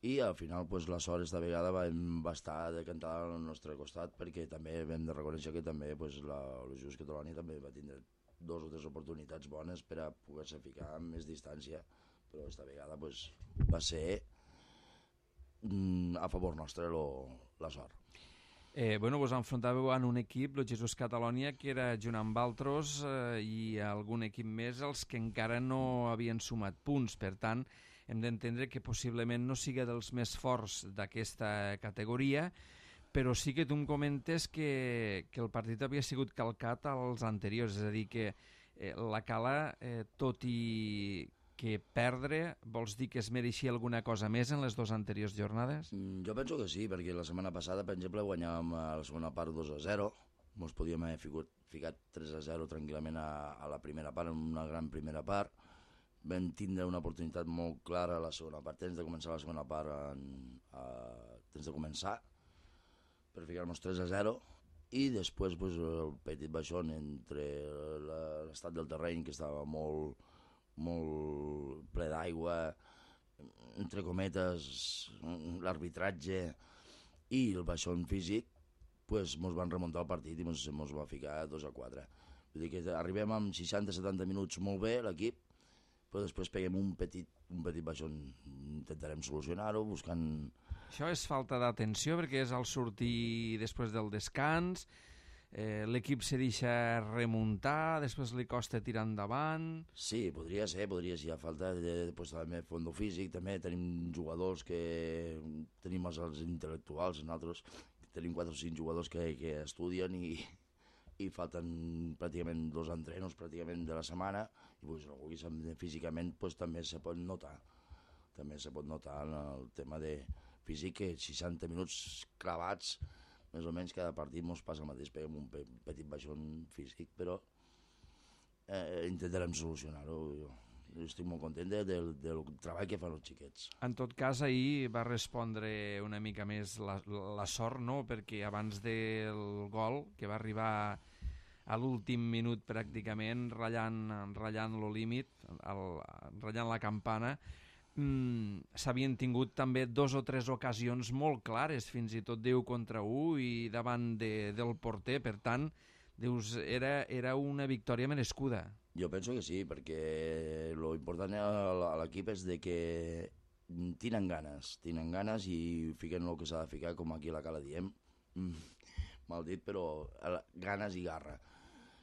i al final pues, la sort esta vegada va, va estar decantada al nostre costat perquè també hem de reconèixer que també pues, la, el Jesús Catalònia també va tindre dos o tres oportunitats bones per a poder-se ficar amb més distància, però esta vegada pues, va ser mm, a favor nostre lo, la sort. Eh, bueno, vos enfrontàveu en un equip, el Jesús Catalònia, que era junt amb altres eh, i algun equip més els que encara no havien sumat punts. Per tant, hem d'entendre que possiblement no siga dels més forts d'aquesta categoria, però sí que tu em comentes que, que el partit havia sigut calcat als anteriors, és a dir, que eh, la Cala, eh, tot i que perdre, vols dir que es mereixia alguna cosa més en les dues anteriors jornades? Mm, jo penso que sí, perquè la setmana passada, per exemple, guanyàvem a la segona part dos a zero, ens podíem haver ficat, ficat tres a zero tranquil·lament a, a la primera part, en una gran primera part. Vam tindre una oportunitat molt clara a la segona part, tens de començar la segona part, en, a, tens de començar per ficar-nos tres a zero, i després pues, el petit baixón entre l'estat del terreny, que estava molt, molt ple d'aigua, entre cometes, l'arbitratge i el baixón físic, pues, mos van remuntar el partit i mos, mos va ficar dos a quatre. Vull dir que arribem amb seixanta setanta minuts molt bé l'equip, però després peguem un petit, un petit baixón. Intentarem solucionar-ho buscant... Això és falta d'atenció, perquè és al sortir després del descans, eh, l'equip se deixa remuntar, després li costa tirar endavant... Sí, podria ser, podria ser. Hi ha falta de, després també fondo físic, també tenim jugadors que... Tenim els, els intel·lectuals, nosaltres tenim quatre o cinc jugadors que, que estudien i, i falten pràcticament dos entrenos pràcticament de la setmana, i pues, no vulguis, físicament pues, també se pot notar. També se pot notar en el tema de físic que seixanta minuts clavats, més o menys cada partit ens passa el mateix, peguem un pe petit baixón físic, però eh, intentarem solucionar-ho. Jo, jo estic molt content de, de, del treball que fan els xiquets. En tot cas, ahir va respondre una mica més la, la sort, no? Perquè abans del gol, que va arribar a l'últim minut pràcticament, ratllant, ratllant lo límit, el, ratllant la campana, mmm, s'havien tingut també dos o tres ocasions molt clares, fins i tot deu contra u i davant de, del porter, per tant, dius, era, era una victòria merescuda. Jo penso que sí, perquè lo important a l'equip és de que tenen ganes, tenen ganes i fiquen el que s'ha de ficar, com aquí a la cala diem, mal dit, però ganes i garra.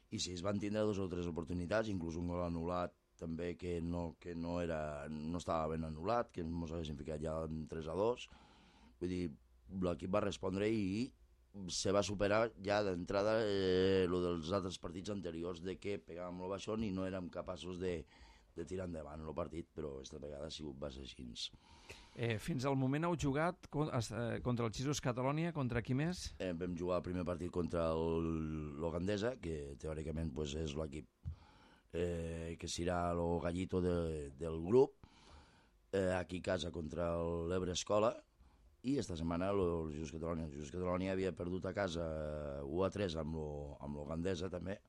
I si es van tindre dues o tres oportunitats, inclús un gol anul·lat també que no, que no, era, no estava ben anul·lat, que ens haguessin ficat ja en tres a dos. Vull dir, l'equip va respondre i se va superar ja d'entrada eh, lo dels altres partits anteriors, de que pegàvem el baixón i no érem capaços de, de tirar endavant el partit, però aquesta vegada ha sigut va ser així. Eh, fins al moment heu jugat contra el Xisos Catalonia, contra qui més? Eh, vam jugar el primer partit contra l'Ogandesa, que teòricament pues, és l'equip eh, que serà el gallito de, del grup, eh, aquí a casa contra l'Ebre Escola, i esta setmana el Xisos Catalonia. El Xisos Catalonia havia perdut a casa u a tres amb l'Ogandesa també,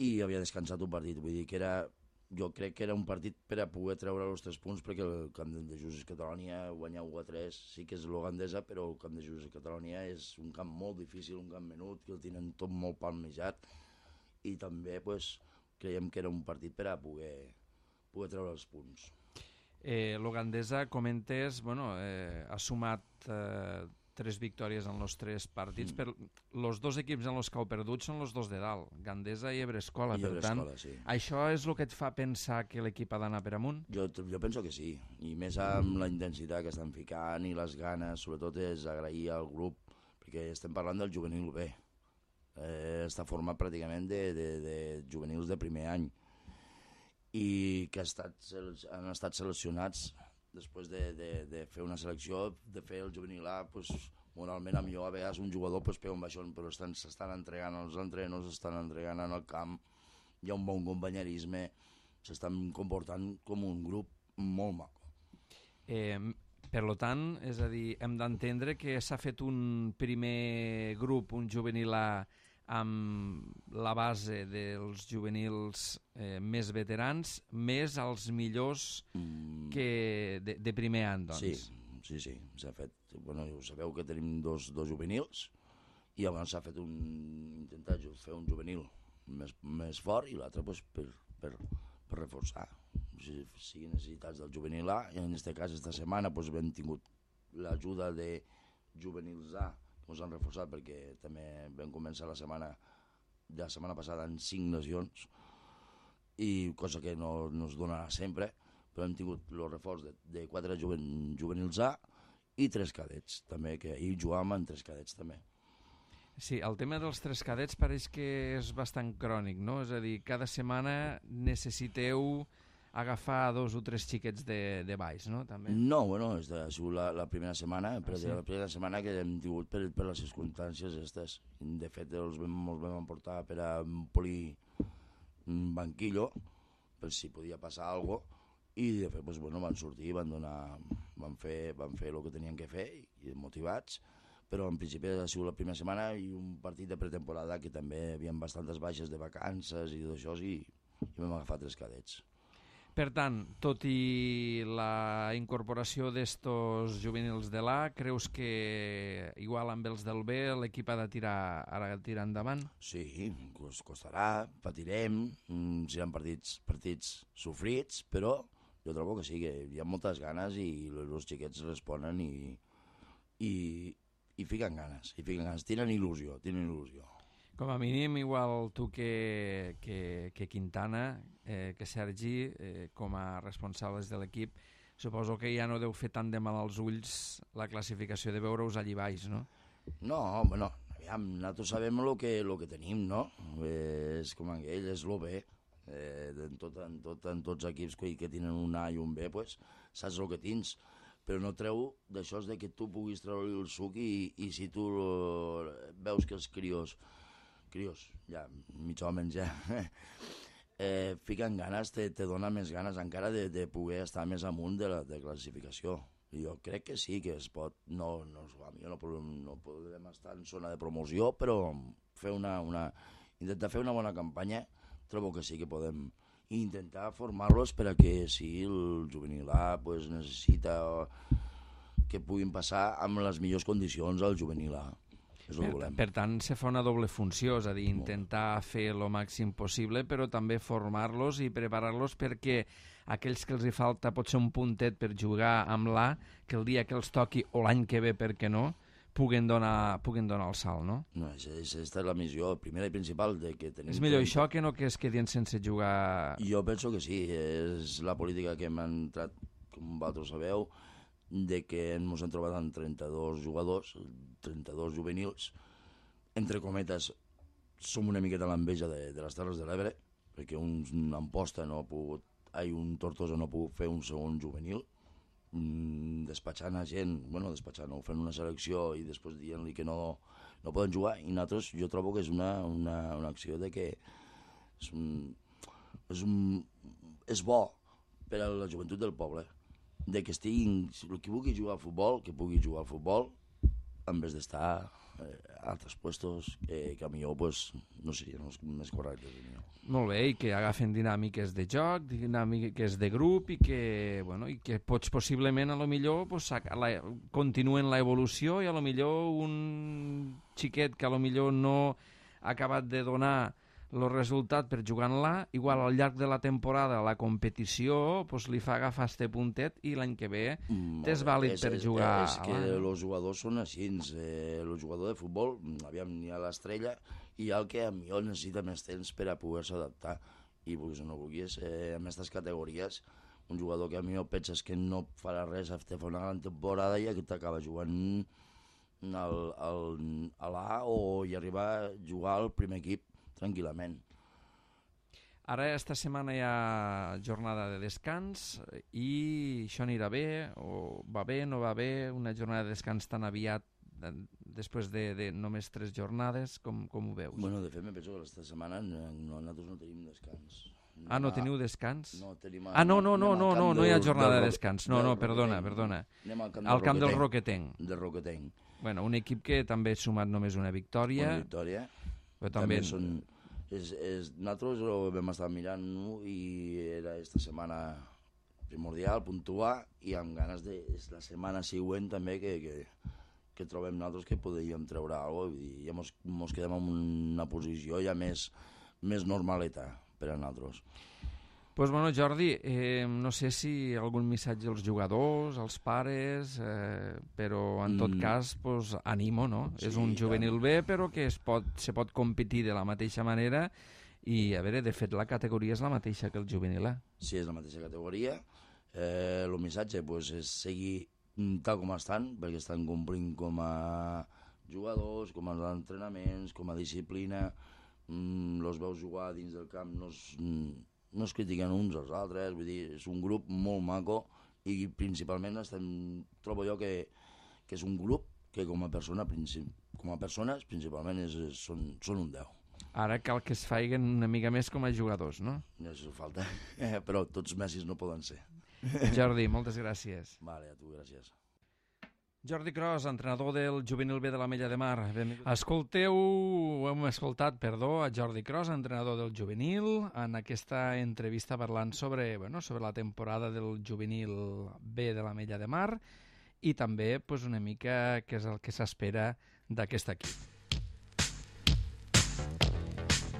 i havia descansat un partit, vull dir que era... Jo crec que era un partit per a poder treure els tres punts, perquè el camp de Xisos Catalonia guanyar u a tres sí que és l'Ogandesa, però el camp de Xisos Catalonia és un camp molt difícil, un camp menut, que el tenen tot molt palmejat, i també pues, creiem que era un partit per a poder, poder treure els punts. Eh, L'Ogandesa, comentes, bueno, eh, ha sumat eh, tres victòries en els tres partits, mm. però els dos equips en els que heu perdut són els dos de dalt, Gandesa i Ebre Escola. I per Ebre tant, Escola, sí. Això és el que et fa pensar que l'equip ha d'anar per amunt? Jo, jo penso que sí, i més amb la intensitat que estan ficant i les ganes, sobretot és agrair al grup, perquè estem parlant del juvenil B. Eh, està format pràcticament de, de, de juvenils de primer any, i que ha estat, han estat seleccionats després de, de, de fer una selecció, de fer el juvenil A, pues, moralment a millor a vegades un jugador pues, pega un baixón, però s'estan entregant als entrenos, s'estan entregant en el camp, hi ha un bon companyerisme, s'estan comportant com un grup molt maco. Eh, per tant, és a dir, hem d'entendre que s'ha fet un primer grup, un juvenil A, amb la base dels juvenils eh, més veterans, més els millors mm. que de, de primer any, doncs. Sí, sí, sí, s'ha fet. Bueno, sabeu que tenim dos, dos juvenils, i llavors s'ha fet un... intentar fer un juvenil més, més fort, i l'altre pues, per, per, per reforçar. Si, si necessitats del juvenil A, i en aquest cas, esta setmana, pues, hem tingut l'ajuda de juvenils A, ens han reforçat perquè també vam començar la setmana de la setmana passada en cinc lesions, i cosa que no, no es donarà sempre, però hem tingut el reforç de, de quatre juven, juvenils A i tres cadets també, que ahir jugàvem en tres cadets també. Sí, el tema dels tres cadets pareix que és bastant crònic, no? És a dir, cada setmana necessiteu agafar dos o tres xiquets de, de baix, no? També. No, bueno, és de, ha sigut la, la primera setmana, però ah, sí? la primera setmana que hem tingut per, per les circumstàncies aquestes. De fet, els vam, els vam emportar per a polir un banquillo, per si podia passar alguna cosa, i de fet, pues, bueno, van sortir, van donar, van fer, van fer el que tenien que fer, i motivats, però en principi ha sigut la primera setmana i un partit de pretemporada que també hi havia bastantes baixes de vacances i d'això, i, i vam agafar tres cadets. Per tant, tot i la incorporació d'estos juvenils de l'A, creus que igual amb els del B l'equip ha de tirar, ha de tirar endavant? Sí, costarà, patirem, seran partits, partits sofrits, però jo trobo que sí, que hi ha moltes ganes i els xiquets responen i, i, i fiquen ganes, i fiquen ganes, tenen il·lusió, tenen il·lusió. Com a mínim, igual tu que, que, que Quintana, eh, que Sergi, eh, com a responsables de l'equip, suposo que ja no deu fer tant de mal als ulls la classificació de veure-us allí baix, no? No, bueno, aviam, nosaltres sabem el que, lo que tenim, no? Eh, és com aquell, és el B. Eh, en, tot, en, tot, en tots els equips que, que tenen un A i un B, pues, saps el que tens. Però no treu d'això de que tu puguis treure el suc i, i si tu veus que els crios crios, ja, mig homes ja, eh, fiquen ganes, te, te dona més ganes encara de, de poder estar més amunt de la de classificació. I jo crec que sí, que es pot, no, no, no, podem, no podem estar en zona de promoció, però fer una, una, intentar fer una bona campanya, trobo que sí que podem intentar formar-los per a que si el juvenil A pues, necessita que puguin passar amb les millors condicions al juvenil A. Per, per tant, se fa una doble funció, és a dir, intentar fer el màxim possible, però també formar-los i preparar-los perquè aquells que els hi falta potser un puntet per jugar amb l'A, que el dia que els toqui, o l'any que ve, per què no, puguen donar, puguen donar el salt, no? No, aquesta és la missió primera i principal de que tenim... És millor això que no que es quedin sense jugar... Jo penso que sí, és la política que hem entrat, com vosaltres sabeu, de que ens hem trobat amb trenta-dos jugadors, trenta-dos juvenils, entre cometes, som una miqueta l'enveja de, de les Terres de l'Ebre, perquè un Amposta no ha pogut, ai, un Tortosa no ha pogut fer un segon juvenil, mm, despatxant a gent, bueno, despatxant, no, fent una selecció i després dient-li que no, no poden jugar, i nosaltres jo trobo que és una, una, una acció de que és, un, és, un, és bo per a la joventut del poble, de que estiguin, el que vulgui jugar al futbol, que pugui jugar al futbol, en vez d'estar eh, a altres puestos que, que a millor pues, no serien els més correctes. Molt bé, i que agafen dinàmiques de joc, dinàmiques de grup, i que, bueno, i que pots possiblement, a lo millor, pues, la, continuen l'evolució i a lo millor un xiquet que a lo millor no ha acabat de donar el resultat per jugar en l'A, igual al llarg de la temporada la competició pues, li fa agafar este puntet i l'any que ve t'és vàlid per jugar a l'A. És que els jugadors són així, eh, el jugador de futbol, aviam, n'hi ha l'estrella i hi ha el que millor necessita més temps per a poder-se adaptar. I vulguis o no vulguis, eh, en aquestes categories, un jugador que a millor penses que no farà res a fer una gran temporada i que t'acaba jugant al, al, a l'A o hi arribar a jugar al primer equip tranquil·lament. Ara, esta setmana hi ha jornada de descans i això anirà bé, o va bé, no va bé, una jornada de descans tan aviat després de, de només tres jornades, com, com ho veus? Bueno, de fet, me penso que aquesta setmana no, nosaltres no tenim descans. Ah, no teniu descans? No, tenim... Ah, no, no, no, no, no, no hi ha jornada de descans. No, no, perdona, perdona. Anem al camp, al camp del Roquetenc. Del Roquetenc. Bueno, un equip que també ha sumat només una victòria. Una victòria. Però també... també són... És, és, nosaltres ho vam estar mirant, no? I era esta setmana primordial, puntuar, i amb ganes de és la setmana següent també que, que, que trobem nosaltres que podríem treure alguna cosa, i ja mos, mos quedem en una posició ja més, més normaleta per a nosaltres. Pues bueno, Jordi, eh, no sé si algun missatge als jugadors, als pares, eh, però en tot mm. cas, pues, animo, no? Sí, és un juvenil bé, però que es pot, se pot competir de la mateixa manera i, a veure, de fet, la categoria és la mateixa que el juvenil A. Sí, és la mateixa categoria. Eh, el missatge pues, és seguir tal com estan, perquè estan complint com a jugadors, com a entrenaments, com a disciplina, mm, los veus jugar dins del camp, no es... Mm, no es critiquen uns als altres, vull dir, és un grup molt maco i principalment estem, trobo jo que, que és un grup que com a, persona, com a persones principalment és, és, són, són un deu. Ara cal que es faiguen una mica més com a jugadors, no? Ja això falta, però tots Messis no poden ser. Jordi, moltes gràcies. Vale, a tu, gràcies. Jordi Cros, entrenador del Juvenil B de l'Ametlla de Mar. Benvingut. Escolteu, hem escoltat, perdó, a Jordi Cros, entrenador del Juvenil, en aquesta entrevista parlant sobre, bueno, sobre la temporada del Juvenil B de l'Ametlla de Mar i també pues, una mica què és el que s'espera d'aquest equip.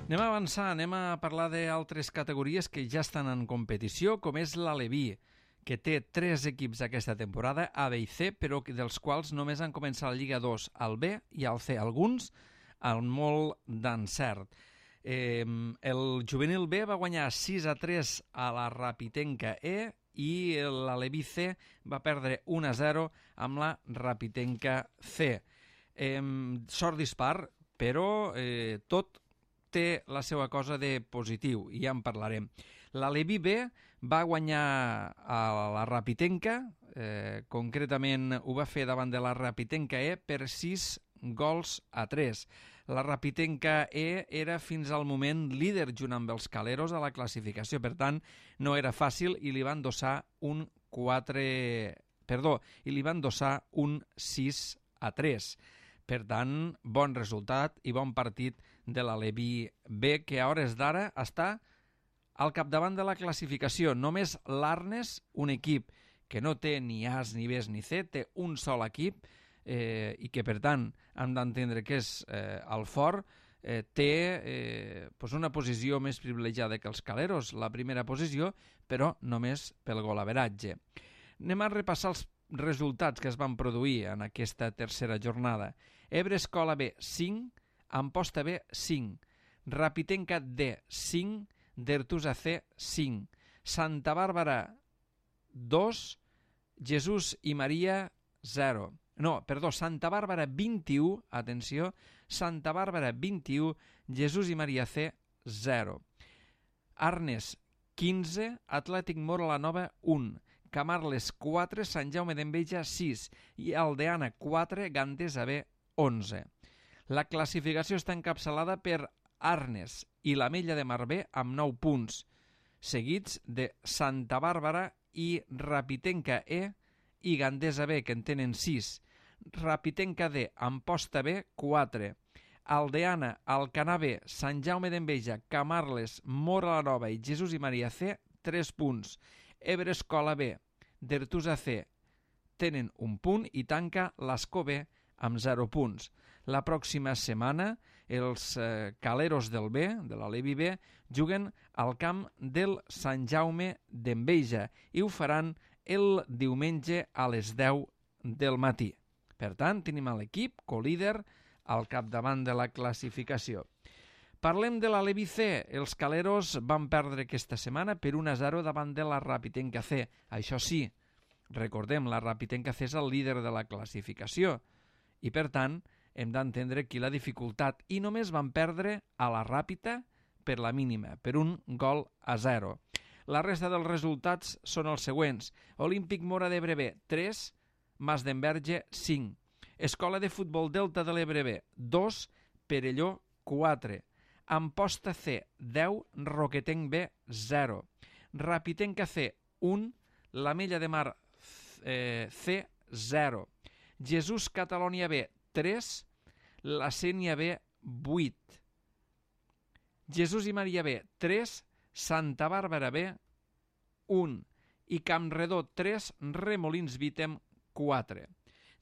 Anem a avançar, anem a parlar d'altres categories que ja estan en competició, com és l'Aleví, que té tres equips aquesta temporada, A, B i C, però dels quals només han començat la Lliga dos al B i al C, alguns amb molt d'encert. Eh, el Juvenil B va guanyar sis a tres a la Rapitenca E i l'Aleví C va perdre un a zero amb la Rapitenca C. Eh, sort dispar, però eh, tot té la seva cosa de positiu, i ja en parlarem. L'Aleví B va guanyar a la Rapitenca, eh, concretament ho va fer davant de la Rapitenca E per sis gols a tres. La Rapitenca E era fins al moment líder junt amb els Caleros a la classificació, per tant no era fàcil i li van endossar un quatre... Perdó, i li van endossar un sis a tres. Per tant, bon resultat i bon partit de l'Aleví B, que a hores d'ara està al capdavant de la classificació. Només l'Arnes, un equip que no té ni As, ni Bs, ni C, té un sol equip eh, i que, per tant, hem d'entendre que és eh, el fort, eh, té eh, pues una posició més privilegiada que els Caleros, la primera posició, però només pel golaveratge. Anem a repassar els resultats que es van produir en aquesta tercera jornada. Ebre Escola B, cinc, Amposta B, cinc, Rapitenca D, cinc, Dertusa C, cinc, Santa Bàrbara, dos, Jesús i Maria, zero. No, perdó, Santa Bàrbara, vint-i-u, atenció, Santa Bàrbara, vint-i-u, Jesús i Maria C, zero. Arnes, quinze, Atlètic Mora la Nova, un, Camarles, quatre, Sant Jaume d'Enveja, sis, i Aldeana, quatre, Gandesa B, onze. La classificació està encapçalada per Arnes i l'Ametlla de Mar B amb nou punts, seguits de Santa Bàrbara i Rapitenca E i Gandesa B, que en tenen sis, Rapitenca D, Amposta B, quatre, Aldeana, Alcanar B, Sant Jaume d'Enveja, Camarles, Mora la Nova i Jesús i Maria C, tres punts, Ebre Escola B, Dertusa C, tenen un punt i tanca l'Escó B amb zero punts. La pròxima setmana els eh, Caleros del B, de l'Aleví B, juguen al camp del Sant Jaume d'Enveja i ho faran el diumenge a les deu del matí. Per tant, tenim l'equip colíder al capdavant de la classificació. Parlem de l'Aleví C. Els Caleros van perdre aquesta setmana per un a zero davant de la Rapitenca C. Això sí, recordem, la Rapitenca C és el líder de la classificació i, per tant, hem d'entendre aquí la dificultat, i només van perdre a la Ràpita per la mínima, per un gol a zero. La resta dels resultats són els següents. Olímpic Mora d'Ebre B, tres, Mas d'Enverge, cinc. Escola de Futbol Delta de l'Ebre B, dos, Perelló, quatre. Amposta C, deu, Roquetenc B, zero. Rapitenca C, un, l'Ametlla de Mar eh, C, zero. Jesús Catalònia B, tres, la Sénia B, vuit. Jesús i Maria B, tres, Santa Bàrbara B, un. I Campredó, tres, Remolins Vítem, quatre.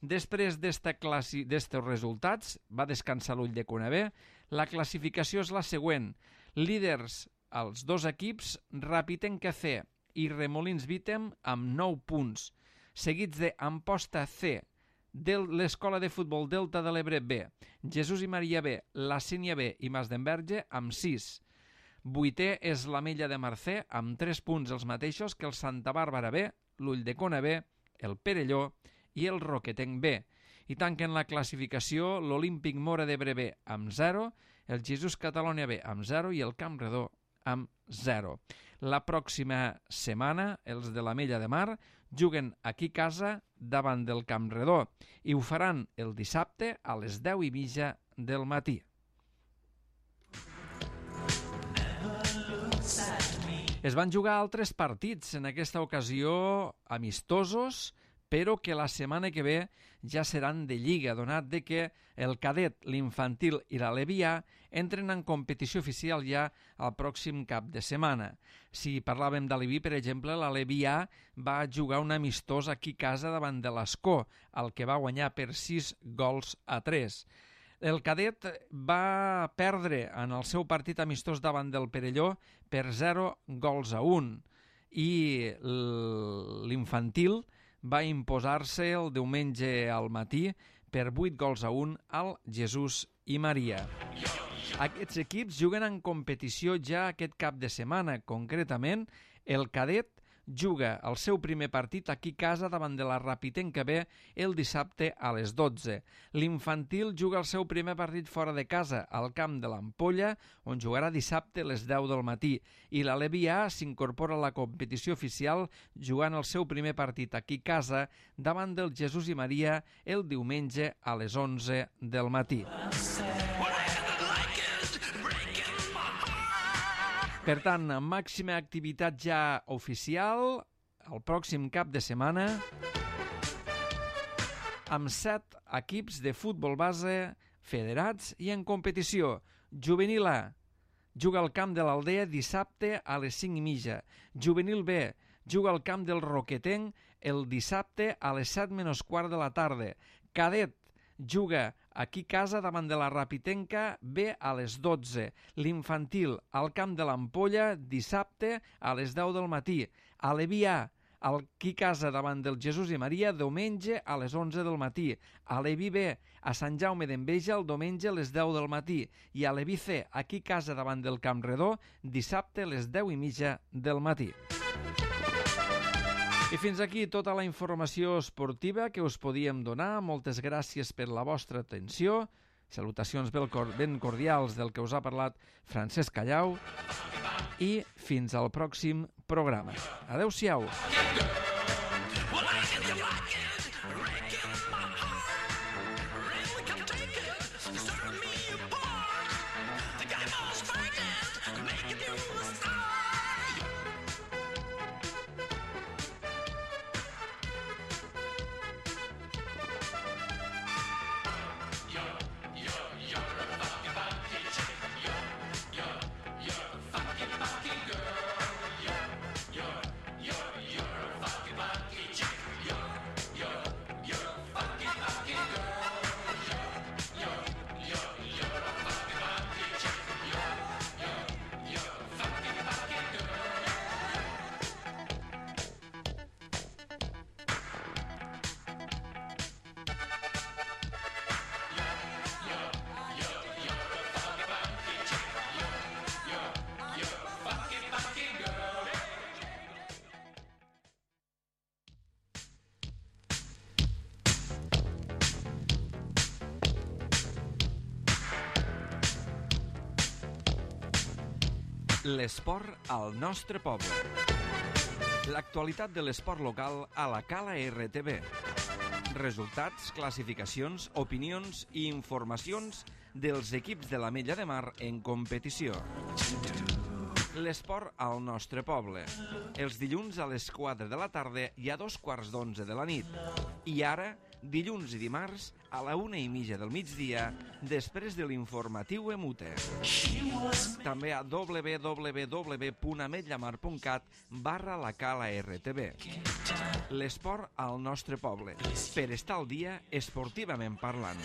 Després d'aquests resultats, va descansar l'Ull de Cuna B, la classificació és la següent. Líders els dos equips, Rapitenca C i Remolins Vítem, amb nou punts, seguits de Amposta C, de l'Escola de Futbol Delta de l'Ebre B, Jesús i Maria B, la Sénia B i Mas d'Enverge, amb sis. Vuitè és l'Ametlla de Mar C, amb tres punts els mateixos que el Santa Bàrbara B, l'Ull de Cona B, el Perelló i el Roquetenc B. I tanquen la classificació l'Olímpic Mora d'Ebre B amb zero, el Jesús Catalònia B amb zero i el Campredó amb zero. La pròxima setmana, els de l'Ametlla de Mar juguen aquí a casa davant del Camp Redó i ho faran el dissabte a les deu i mitja del matí. Es van jugar altres partits, en aquesta ocasió amistosos, però que la setmana que ve ja seran de lliga, donat de que el cadet, l'infantil i la Levià entren en competició oficial ja al pròxim cap de setmana. Si parlàvem d'Aleví, per exemple, la Levià va jugar un amistós aquí a casa davant de l'Escó, el que va guanyar per sis gols a tres. El cadet va perdre en el seu partit amistós davant del Perelló per zero gols a un i l'infantil va imposar-se el diumenge al matí per vuit gols a un al Jesús i Maria. Aquests equips juguen en competició ja aquest cap de setmana. Concretament, el cadet juga el seu primer partit aquí a casa davant de la Rapitenca B el dissabte a les dotze. L'infantil juga el seu primer partit fora de casa, al camp de l'Ampolla, on jugarà dissabte a les deu del matí. I la Levià s'incorpora a la competició oficial jugant el seu primer partit aquí a casa davant del Jesús i Maria el diumenge a les onze del matí. Per tant, màxima activitat ja oficial el pròxim cap de setmana amb set equips de futbol base federats i en competició. Juvenil A juga al camp de l'Aldea dissabte a les cinc i mitja. Juvenil B juga al camp del Roquetenc el dissabte a les set menys quart de la tarda. Cadet juga aquí a casa davant de la Rapitenca B a les dotze. L'infantil al camp de l'Ampolla dissabte a les deu del matí. Aleví A aquí a casa davant del Jesús i Maria diumenge a les onze del matí. Aleví B a Sant Jaume d'Enveja el diumenge a les deu del matí. I Aleví C aquí a casa davant del Camp Redó dissabte a les deu i mitja del matí. I fins aquí tota la informació esportiva que us podíem donar. Moltes gràcies per la vostra atenció. Salutacions ben cordials del que us ha parlat Francesc Callau. I fins al pròxim programa. Adéu-siau. L'esport al nostre poble. L'actualitat de l'esport local a la Cala R T V. Resultats, classificacions, opinions i informacions dels equips de l'Ametlla de Mar en competició. L'esport al nostre poble. Els dilluns a les quatre de la tarda i a dos quarts d'onze de la nit. I ara, dilluns i dimarts, a la una i mitja del migdia, després de l'informatiu Emute. També a w w w punt ametllamar punt cat barra la Cala R T V. L'esport al nostre poble. Per estar al dia esportivament parlant.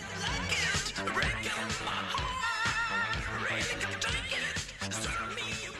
Breaking my heart, breaking, breaking, serve me a